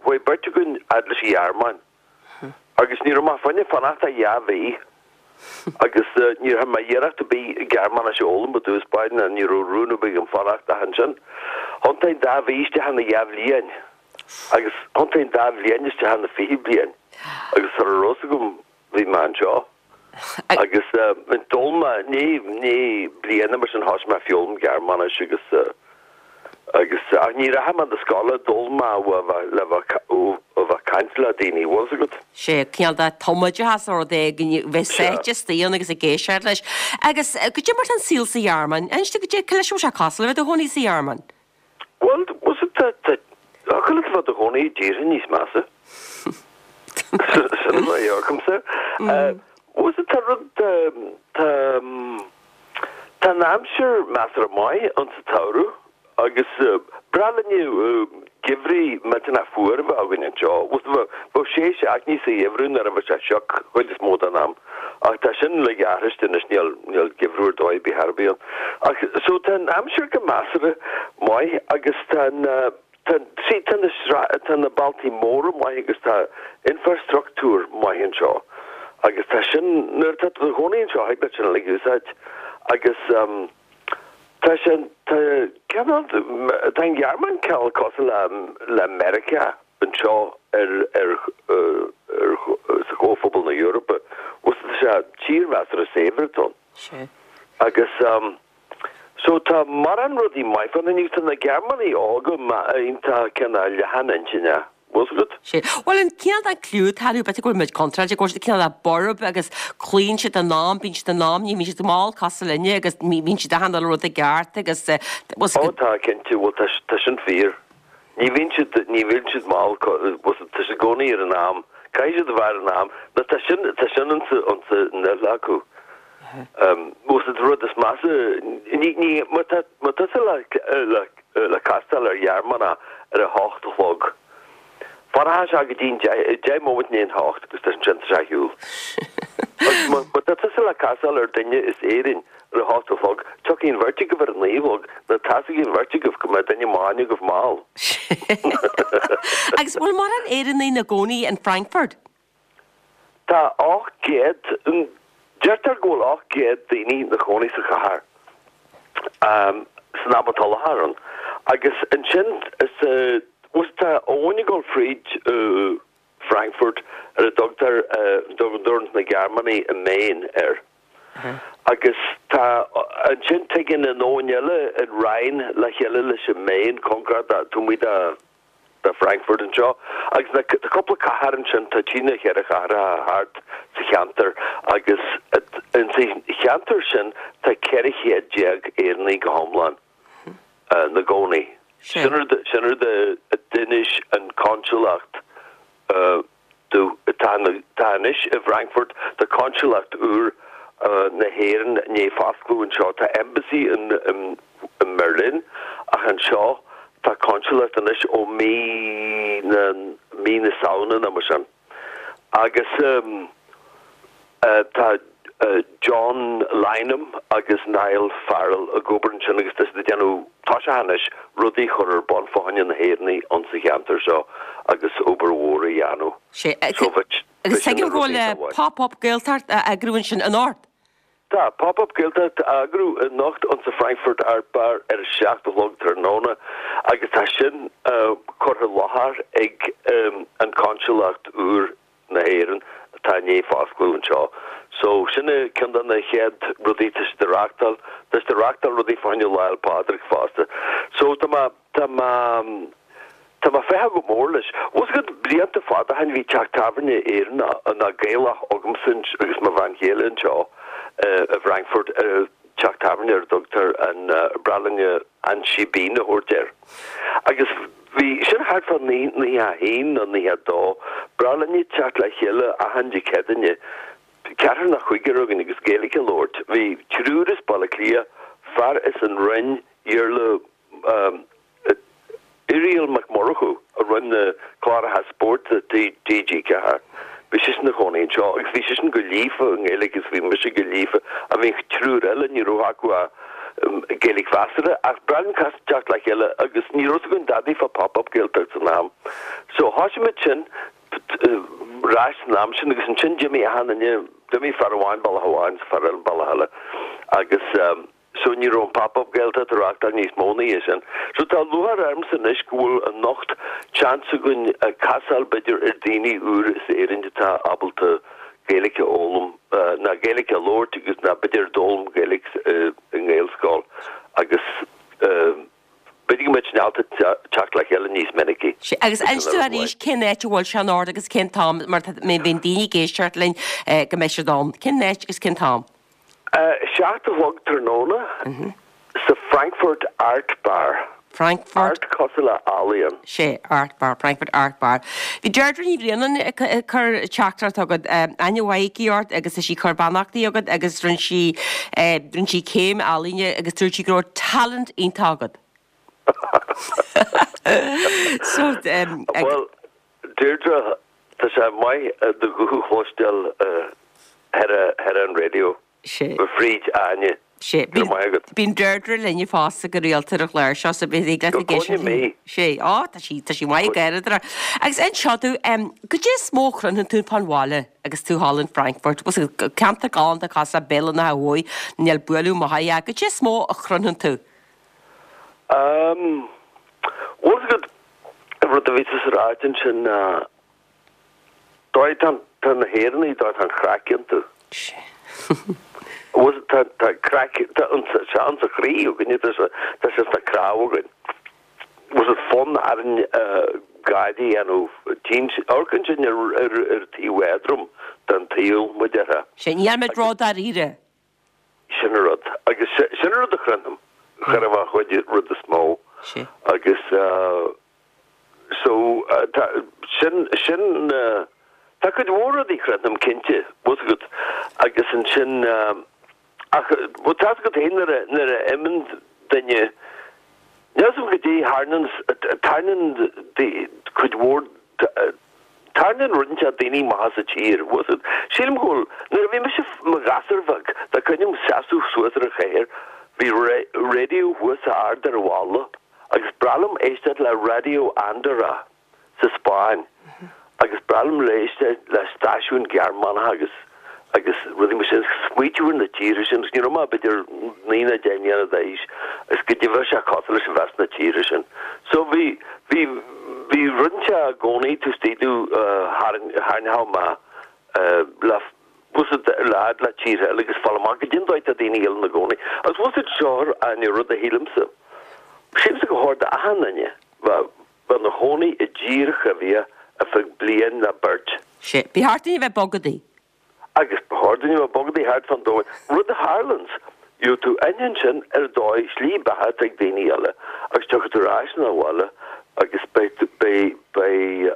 chuaigh beirt againn fhad leis an Ghearmáin agus ní raibh mé fá choinne fanacht ach dhá mhí agus ní raibh mé iarracht ar bith Gearmáinis a fhoghlaim i dtús báire ná ní raibh rún ar bith agam fanacht ach ansin thiontaigh an dá mhí isteach ina dhá bhliain agus thiontaigh an dá bhliain isteach ina 20 bliain agus sara raibh fhios agam bhí mé anseo. Agus d'fhoghlaim mé, i ndiaidh bliana mar sin thosaigh mé ag foghlaim Gearmáinis agus agus ach ní rachaidh mé na scoile, d'fhoghlaim mé ó le bheith ó bheith ag caint le daoine, bhfuil fhios agat? Sé cineál de tumoideachas nó rud éigin, bheith sáite istigh ann agus ag éisteacht leis. Agus goidé mar tá an saol sa Ghearmáin? Inis dom goidé, cá leis a bhfuil sé cosúil le bheith i do chónaí sa Ghearmáin? Bhuel, bhfuil fhios agat, tá, tá, thiocfadh leat a bheith i do chónaí i dtíortha níos measa. Sin mar a dhearcaimse. Bhfuil fhios agat, tá rud, tá, tá, tá an aimsir measartha maith ann sa tsamhradh agus breá linne geimhrí millteanach fuar a bheith againn anseo. Bhfuil fhios agat, bheadh sé seachtainí sa gheimhreadh nuair a bheadh sé sioc chuid is mó den am. Ach tá sin uilig athraithe anois, níl, níl geimhreadh ar dóigh ar bith ar bith ann. Ach, so tá an aimsir go measartha maith agus tá an, tá, see, tá na sra, tá na bealtaí móra maith agus tá infreastruchtúr maith anseo. Agus tá sin, nuair atá tú i do chónaí anseo, thig leat sin uilig a úsáid. Agus tá sé, tá cineál, tá an Ghearmáin cineál cosúil le, le Meiriceá. anseo ar ar ar sa Chomhphobal na hEorpa. Bhfuil fhios agat, tá sé tír mheasartha saibhir atá ann. Sea. Agus so tá mórán rudaí maith fán agus tá na Gearmánaigh óga iontach cineál leathan intinne. Bhfuil fhios agat? Sea. Bhuel an cineál den cliú atá orthu, b'fhéidir go bhfuil muid contráilte, go bhfuil siad cineál de borb agus cloíonn siad an am, bíonn siad in am, ní bhíonn siad mall cosúil linne agus bíonn siad achan uile rud i gceart agus bhfuil fhios agat. Ó tá, cinnte, bhuel tá tá sin fíor. Ní bhíonn siad, ní bhíonn siad mall, tá siad i gcónaí ar an am, caithfidh siad a bheith ar an am, nó tá sin, tá sin insa, insa fhuil acu. Bhfuil fhios agat, rud is measa, ní, ní, má tá, má tá tusa le, le, le castáil ar Ghearmánach ar a hocht a chlog, fanfaidh sé go dtí an deich, deich móimint i ndiaidh an hocht agus ansin tá sé ar shiúl. Agus má tá tusa le casáil ar duine as Éirinn ar a hocht a chlog, tiocfaidh an bheirt agaibh ar a naoi a chlog, nó tá's ag an bheirt agaibh go mbeidh duine amháin agaibh mall. Agus bhfuil mórán Éireannaigh ina gcónaí in Frankfurt? Tá 800, deirtear go bhfuil 800 daoine ina chónaí sa chathair san am atá i láthair ann. Agus ansin is, bhuel tá abhainn ag dul fríd Frankfurt ar a dtugtar, dtugann na Gearmánaigh an Main air. Agus tá, ansin tigeann an abhainn eile, an Rhein, le chéile leis an Main, cóngarach do, taobh amuigh de, de Frankfurt anseo. Agus na, tá cúpla cathair ansin, tá trí nó cheithre chathracha thart sa cheantar agus insa cheantar sin tá 1400 Éireannaigh go hiomlán 'na gcónaí. Sin rud, sin rud a d'inis an consulacht domh. Tá, tá anois i bhFrankfurt, tá consulacht úr na hÉireann i ndiaidh foscladh anseo. Tá embassy in, i mBerlin ach anseo tá consulacht anois ó mí na, mí na Samhna nó mar sin. Agus tá John Lynam agus Niall Farrell ag obair ansin agus tá siad ag déanamh, toiseacha anois, rudaí a chur ar bun fá choinne na hÉireannaigh ann sa cheantar seo agus obair mhór a dhéanamh. Sea, agus tuigim go bhfuil Pop Up Gaeltacht á eagrú ansin anocht. Tá Pop Up Gaeltacht á eagrú anocht ann sa Frankfurt Art Bar ar a 7 a chlog tráthnóna agus tá sin curtha i láthair ag an Consulacht úr na hÉireann atá i ndiaidh foscladh anseo. So sin ceann de na chéad rudaí tá siad a reachtáil. Tá siad a reachtáil rudaí fá choinne Lá 'le Pádraig fosta. So tá mé Tá mé, tá mé ag féachaint go mór leis. Bhfuil 's agat, blianta fada ó shin bhí teach tábhairne Éireannach, ná Gaelach agamsa agus mo bhean chéile anseo i bhFrankfurt, teach tábhairne ar a dtugtar an, breá linne an Síbín a thabhairt air. Agus bhí, sin thart fá 91 nó 92, breá linne teacht le chéile achan Dé Céadaoine, ceathrar nó cúigear againn agus Gaeilge a labhairt. Bhí triúr as Baile Átha Cliath, fear as an Rinn, Iarla Irial Mac Murchú, a rinne na cláracha spóirt do TG4, bhí seisean ina chónaí anseo agus bhí seisean go líofa i nGaeilge agus bhí mise go líofa ach bhí an triúr eile, ní raibh acu ach Gaeilge mheasartha ach b'bhreá linn teacht le chéile agus ní raibh 's againn dadaí fá Pop Up Gaeltacht san am. So thoisigh muid sin ar ais san am sin agus ansin d'imigh achan duine, d'imigh fear amháin bealach amháin is fear eile bealach eile agus. So ní raibh an Pop Up Gaeltacht á reachtáil níos mó ina dhiaidh sin. So tá lúcháir ormsa anois go bhfuil anocht seans againn casáil b'fhéidir ar daoine úr as Éirinn atá ábalta Gaeilge a fhoghlaim, ná Gaeilge a labhairt agus ná b'fhéidir d'fhoghlaim Gaeilge i nGaelscoil agus b'fhéidir go mbeidh sinn ábalta teacht le chéile níos minicí. Sea, agus inis dúinn arís cén áit a bhfuil sé anocht agus cén t-am, mar tá má bhíonn daoine ag éisteacht linn go mbeidh siad ann. Cén áit agus cén t-am? 7 a chlog tráthnóna sa Frankfurt Art Bar. Frankfurt. Art cosúil le ealaíon. Sea, Art Bar, Frankfurt Art Bar. Bhí Deirdre Ní Bhraonáin ag cur teachtaireacht chugat, aithne mhaith aici ort agus tá sí ag cur beannachtaí chugat agus rinne sí, rinne sí céim ealaíne agus dúirt sí go raibh talent iontach agat. So, Bhuel, Deirdre, tá sé maith do ghuth a chloisteáil thar an raidió. Sea. Fríd Áine. Sea. Go raibh maith agat. Bíonn Deirdre linne fosta go rialta ar an chlár seo so beidh ag Go gcoinne mé. Sea. Ó, tá sí, tá sí maith ag gáire. Agus inis domh, goidé is mó a chroitheann tú fán bhaile agus tú thall in Frankfurt? Bhuel, ceantar galánta cosúil le Béal an Átha Bhuí, níl bualadh amach é. Goidé is mó a chroitheann tú? Bhfuil 's agat, An rud a bhí tusa a ráit ansin ná dóigh tá tá na hÉireannaigh dóigh tá an chraic iontu. Bhfuil tá tá craic tá an tá sé ann sa chroí againne tá sé tá sé sna cnámha againn. Bhfuil sé fonn orainn gáire a dhéanamh tchíonn amharcann sinn ar ar ar taobh éadrom den tsaol mar a déarfá. Sea, níl muid ródháiríre. Sin an rud. Agus sin an rud a chroithim, chuirfeadh an chuid rud is mó. Agus so tá sin, sin, tá cuid mhór rudaí a chroithim cinnte, bhfuil 's agat. Agus ansin, ach bhuel tá 's agat féin nuair a, nuair a imíonn duine, níl 's agam goidé tharlaíonn, tarlaíonn cuid mhór. Tarraingíonn rud inteacht daoine amach as an tír, bhfuil 's agat. Sílim go bhfuil, nuair a bhí mise mo ghasúr bheag, dá cuimhin liom seasamh suas ar an chathaoir, bhí raidió thuas ard ar an bhalla agus b'bhreá liom éisteacht le Raidió Andorra sa Spáinn agus b'bhreá liom éisteacht le stáisiúin Ghearmánacha agus agus rudaí mar sin, smaoitiú ar na tíortha sin, agus ní raibh mé ach b'fhéidir 9 nó 10 mbliana d'aois, agus goidé bheadh sé cosúil leis a bheith sna tíortha sin. So bhí, bhí, bhí rud inteacht i gcónaí taobh istigh domh a tharraingeodh mé le, bhfuil 's agat, le fhad le tíortha eile agus fáil amach goidé an dóigh atá daoine eile ina gcónaí. Agus bhfuil 's agat seo an rud a shílimse, sílimse gur chóir d'achan duine bheith, bheith ina chónaí i dtír ar bith ar feadh bliain nó beirt. Sea. Ba cheart duinn a bheith bogadaí. Agus ba chóir duinn a bheith bogadaí thart fán domhan. Rud a tharlaíonns, gheobhaidh tú aithne ansin ar an dóigh, slí beatha atá ag daoine eile agus tiocfaidh tú ar ais 'na bhaile agus beidh, beidh, beidh,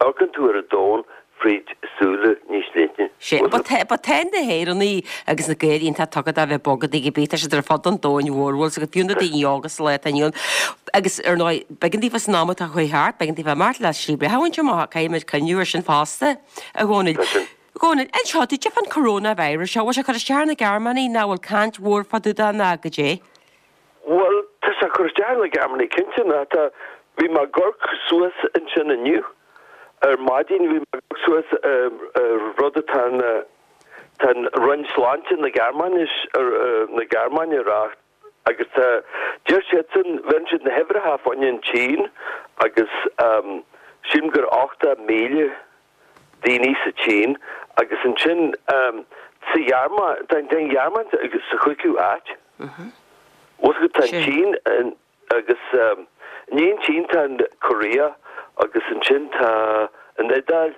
amharcann tú ar an domhan fríd súile níos leithne. Sea, but tá na hÉireannaigh agus na Gaeil iontach tugtha do bheith bogadaí cibé, tá siad ar fud an domhain mhóir, bhfuil 's agat, fiú na daoine óga sa lá atá inniu ann. Agus ar ndóigh, b'éigean daofa san am atá chuaigh thart, b'éigean daofa imeacht le slí beatha a bhaint amach, caithfidh muid cuimhniú ar sin fosta, a Dhónaill. Tá sin. A Dhónaill, inis domh, goidé fán coronavirus seo, bhfuil sé ag cur isteach ar na Gearmánaigh, nó bhfuil caint mhór fá dtaobh de ná goidé? Bhuel, tá sé ag cur isteach ar na Gearmánaigh cinnte, ná tá, bhí mé ag amharc suas ansin inniu ar maidin, bhí mé ag amharc suas ar rud atá na, tá an Roinn Sláinte na Gearmáinis, na Gearmáine a rá agus tá, deir siadsan, bheireann siad na huimhreacha fá choinne an tSín agus sílim gur 80,000 daoine sa tSín agus ansin sa Ghearmáin, tá an Ghearmáin sa chúigiú áit. Bhfuil 's agat, tá an tSín agus i ndiaidh an tSín tá an Korea agus ansin tá an Iodáil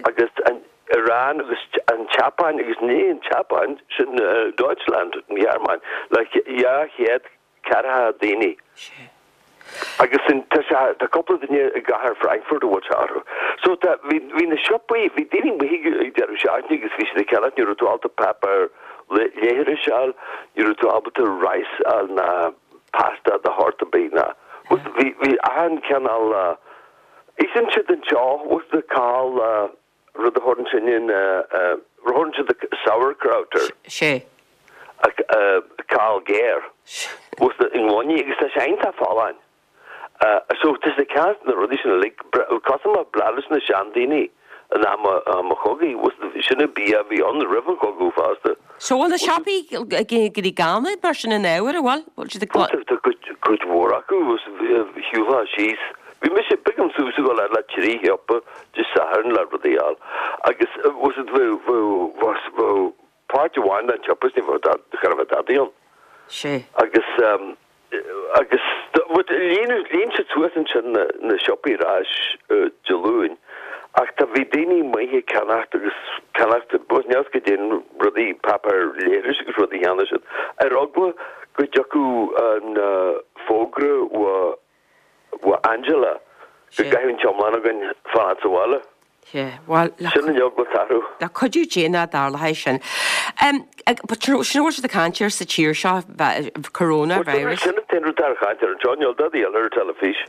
agus an Iran agus an tSeapáin agus i ndiaidh an tSeapáin sin Deutschland, an Ghearmáin, le 200 ceathracha daoine. Agus sin, tá sé, tá cúpla duine i gcathair Frankfurt a bhfuil sé orthu. So tá, bhí, bhí na siopaí, bhí daoine amuigh ag ag deireadh seachtaine agus bhí siad ag ceannacht, ní raibh tú ábalta páipéar leithris a fháil, ní raibh tú ábalta rice a fháil ná pasta de shórt ar bith ná, bhí, bhí achan cineál, itheann siad anseo, bhfuil 's agat cál, rud a thabharann sinne na, rud a thabharann siad sauerkraut air. Sea. Cál géar. Bhfuil 's agat i ngloiní agus tá sé iontach folláin. So tá siad ag ceannacht na rudaí sin uilig, cosúil mar ba bhreá leis na seandaoine in am an chogaidh, bhfuil 's agat, sin an bia a bhí ann roimh an chogadh fosta. So bhfuil na siopaí ag éirí gann mar sin in ábhar, an bhfuil? Bhfuil siad ag. Tá cuid mhór acu, shiúlfá síos, bhí mise, b'éigean dom suas a dhul le trí shiopa Dé Sathairn le rudaí a fháil agus bhfuil 's agat bheadh, bheadh páirt amháin den tsiopa is ní bheadh, cha raibh dadaí ann. Sea. Agus. Agus líon líon siad suas ansin na siopaí ar ais Dé Luain ach tá bhí daoine amuigh ag ceannacht agus ceannacht níl 'fhios goidé na rudaí páipéar leithris agus rudaí a cheannaigh siad ar eagla go dtiocfadh an fógra ó Angela go gcaithfeadh an t-iomlán againn fanacht sa bhaile. Sea, bhuel, le. Sin an eagla atá orthu. Le cuidiú Dé nach dtarlóidh sin. But sin a bhfuil siad ag caint air sa tír seo, coronavirus. Sin an t-aon rud atá ar chaint air anseo, níl dadaí eile ar an teilifís.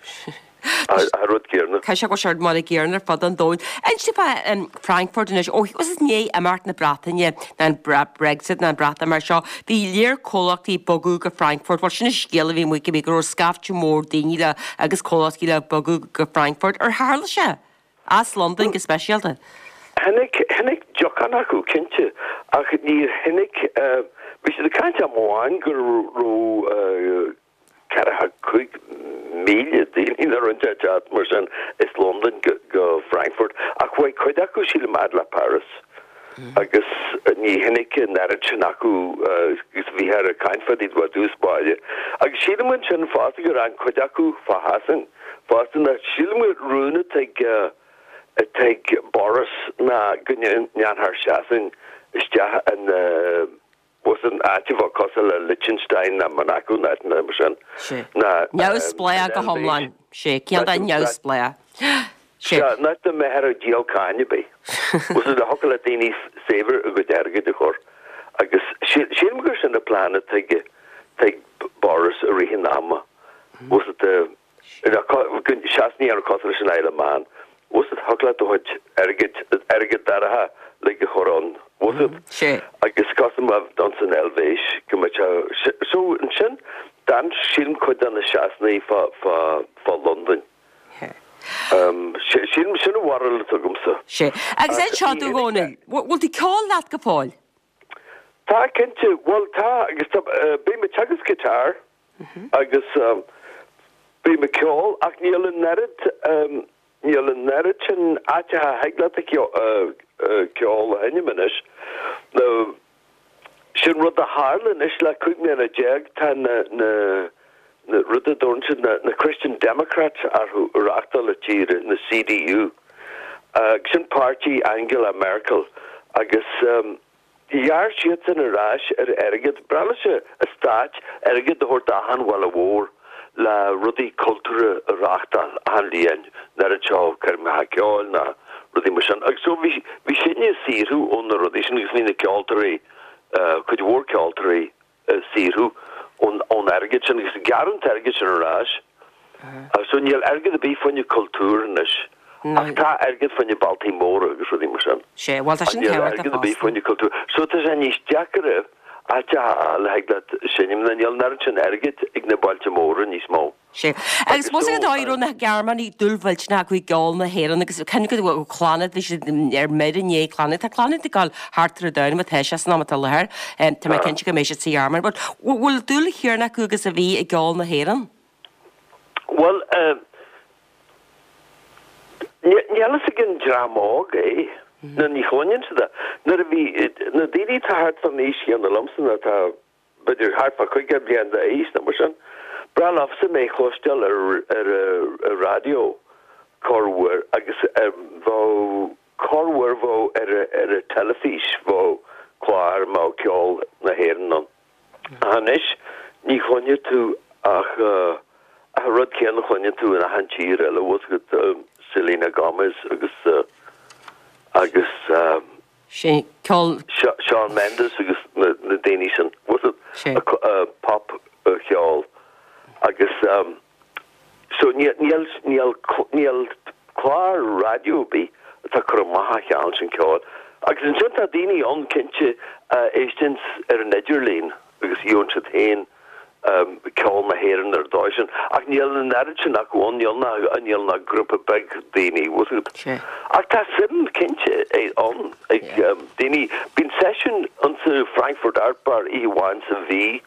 An rud céanna. Caithfidh sé go bhfuil sé mar an gcéanna ar fud an domhain. Inis fá Frankfurt anois, ó is i ndiaidh imeacht na Breataine, ná an Brexit ná an Breatimeacht seo, bhí léar comhlachtaí ag bogadh go Frankfurt. Bhuel, sin an scéal a bhí amuigh go raibh scaifte mór daoine le agus comhlachtaí le bogadh go Frankfurt. Ar tharla sé? As Londain go speisialta. Tháinig, tháinig deocán acu, cinnte, ach níor tháinig, bhí siad ag caint am amháin go raibh 45,000 daoine nó rud inteacht mar sin as Londain go Frankfurt, ach chuaigh cuid acu, sílim, fhad le Paris agus ní tháinig an oiread sin acu agus bhíthear ag caint fá dtaobh i dtús báire. Agus sílim ansin fosta gur fhan cuid acu fá Shasain. Fosta ná sílim gur rún atá ag atá ag Boris ná go ndéanfar Sasain isteach in bhfuil 's an áit a bheadh cosúil le Liechtenstein ná Monaco ná áiteanna mar sin. Sea. Ná Neamhspleách go hiomlán. Sea. Ceann de neamhspleách. Sea. Sea, nach dá mbeifear ag díol cáin ar bith. Bhfuil 's agat thiocfadh le daoine saibhir a gcuid airgid a chur agus sílim gur sin an plean atá ag atá ag Boris i rith an ama. Bhfuil 's agat, Sasana a dhéanamh cosúil leis an Isle of Man. Bhfuil 's agat, thiocfadh leat do chuid airgid, airgead d'áirithe like a chur ann, bhfuil 's agat? Sea. Agus cosúil le bheith ann san Eilvéis go mbeadh sé, so ansin d'fhan sílim cuid de na Sasanaigh fá, fá, fá Londain. Sílim, sin an bharúil atá agamsa. Sea. Agus inis domh a Dhónaill, bhfuil tú ag ceol leat go fóill? Tá, cinnte. Bhuel, tá, agus tá, bím ag teagasc guitar agus bím ag ceol ach níl an oiread, níl an oiread sin áiteacha a thig leat ceol a sheinm anois. Nó sin rud a tharla anois le 15 mbliana, tá na, na, na rud a dtabharann siad na, na Christian Democrats orthu ag reachtáil na tíre, na CDU. Sin páirtí Angela Merkel agus ghearr siadsan ar ais ar airgead, breá leis an stát airgead a thabhairt d'achan bhaile mhór le rudaí cultúrtha a reachtáil achan bhliain, an oiread seo coirmeacha ceoil ná rudaí mar sin. Agus so bhí bhí sinne ag saothrú ó na rudaí sin agus bhí na ceoltóirí, cuid mhór ceoltóirí ag saothrú ón ón airgead sin agus gearradh an t-airgead sin ar ais. So níl airgead ar bith fá choinne cultúr anois ach tá airgead fá choinne bailtí móra agus rudaí mar sin. Sea, bhuel tá sin tábhachtach Níl airgead ar bith fosta. fá choinne cultúr. So tá sé níos deacaire áit a fháil a thig leat seinm nó níl an oiread sin airgid ag na bailte móra níos mó. Sea. Agus bhfuil 's agat an dóigh a raibh na Gearmánaigh dúil mhillteanach acu i gceol na hÉireann agus cinn go bhfuil Clannad, bhí siad ar mire i ndiaidh Clannad. Tá Clannad ag dul thart ar an domhan má tá sé san am atá i láthair. Tá mé cinnte go mbeidh siad sa Ghearmáin. But bhfuil dúil chéanna acu agus a bhí i gceol na hÉireann? Bhuel, níl a fhios ag an dream óg é. Nó ní chluineann siad é. Nuair a bhí na daoine atá thart fán aois chéanna liomsa nó atá b'fhéidir thart fá 50 bliain d'aois nó mar sin. Breá leofa mé a chloisteáil ar an raidió corruair agus bheadh corruair bheadh ar an teilifís bheadh clár a mbeadh ceol na hÉireann ann. Ach anois ní chluinfidh tú ach an rud céanna a chluineann tú in achan tír eile, bhfuil 's agat Selena Gomez agus agus. Sin ceol. Shawn Mendes agus na daoine sin, bhfuil 's agat, pop cheol agus so níl níl níl clár raidió ar bith atá ag cur amach an chineál sin ceoil. Agus ansin tá daoine ann cinnte a éisteanns ar an idirlíon agus gheobhann siad féin ceol na hÉireann ar an dóigh sin. Ach níl an oiread sin acu ann, níl ach, níl ach grúpa beag daoine, bhfuil 's agat. Ach tá suim cinnte ann ag daoine. Bíonn seisiún insa Frankfurt Art Bar oíche amháin sa mhí,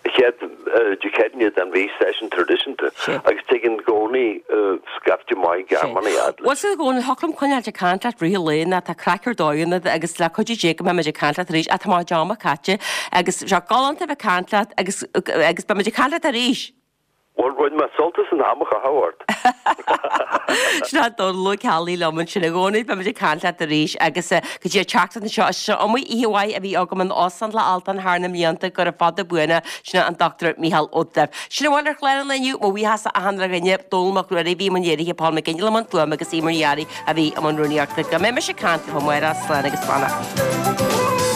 chéad Dé Céadaoine den mhí, seisiún traidisiúnta, agus tigeann i gcónaí scaifte maith Gearmánaigh fhad leis. Bhuel, a Dhónaill, thiocfadh liom coinneáilt ag caint leat rith an lae nó tá craic ar dóigh ionat agus le cuidiú Dé go mbeidh muid ag caint leat arís ach tá mo chuid ama caite agus tá sé galánta a bheith ag caint leat agus agus beidh muid ag caint leat arís! Bhuel, bhain mé sult as an am a chaitheamh ort. Sin é Dónal Ó Ceallaigh liom ansin a Dhónaill, beidh muid ag caint leat arís agus go dtí an tseachtain seo, is iomaí oíche mhaith a bhí agam in Óstán Loch Altan thar na mblianta, gura fada buan é, sin é an Dr Mícheál Ó Duibh. Sin a bhfuil ar chlár an lae inniu, mo bhuíochas a achan uile dhuine, Dónal Mac Ruairí a bhí i mbun léirithe, Paul McGinley i mbun fuaime agus Eimear Ní Fhearraigh a bhí i mbun rúnaíochta. Go mbeidh mise ag caint libh amárach, slán agus beannacht.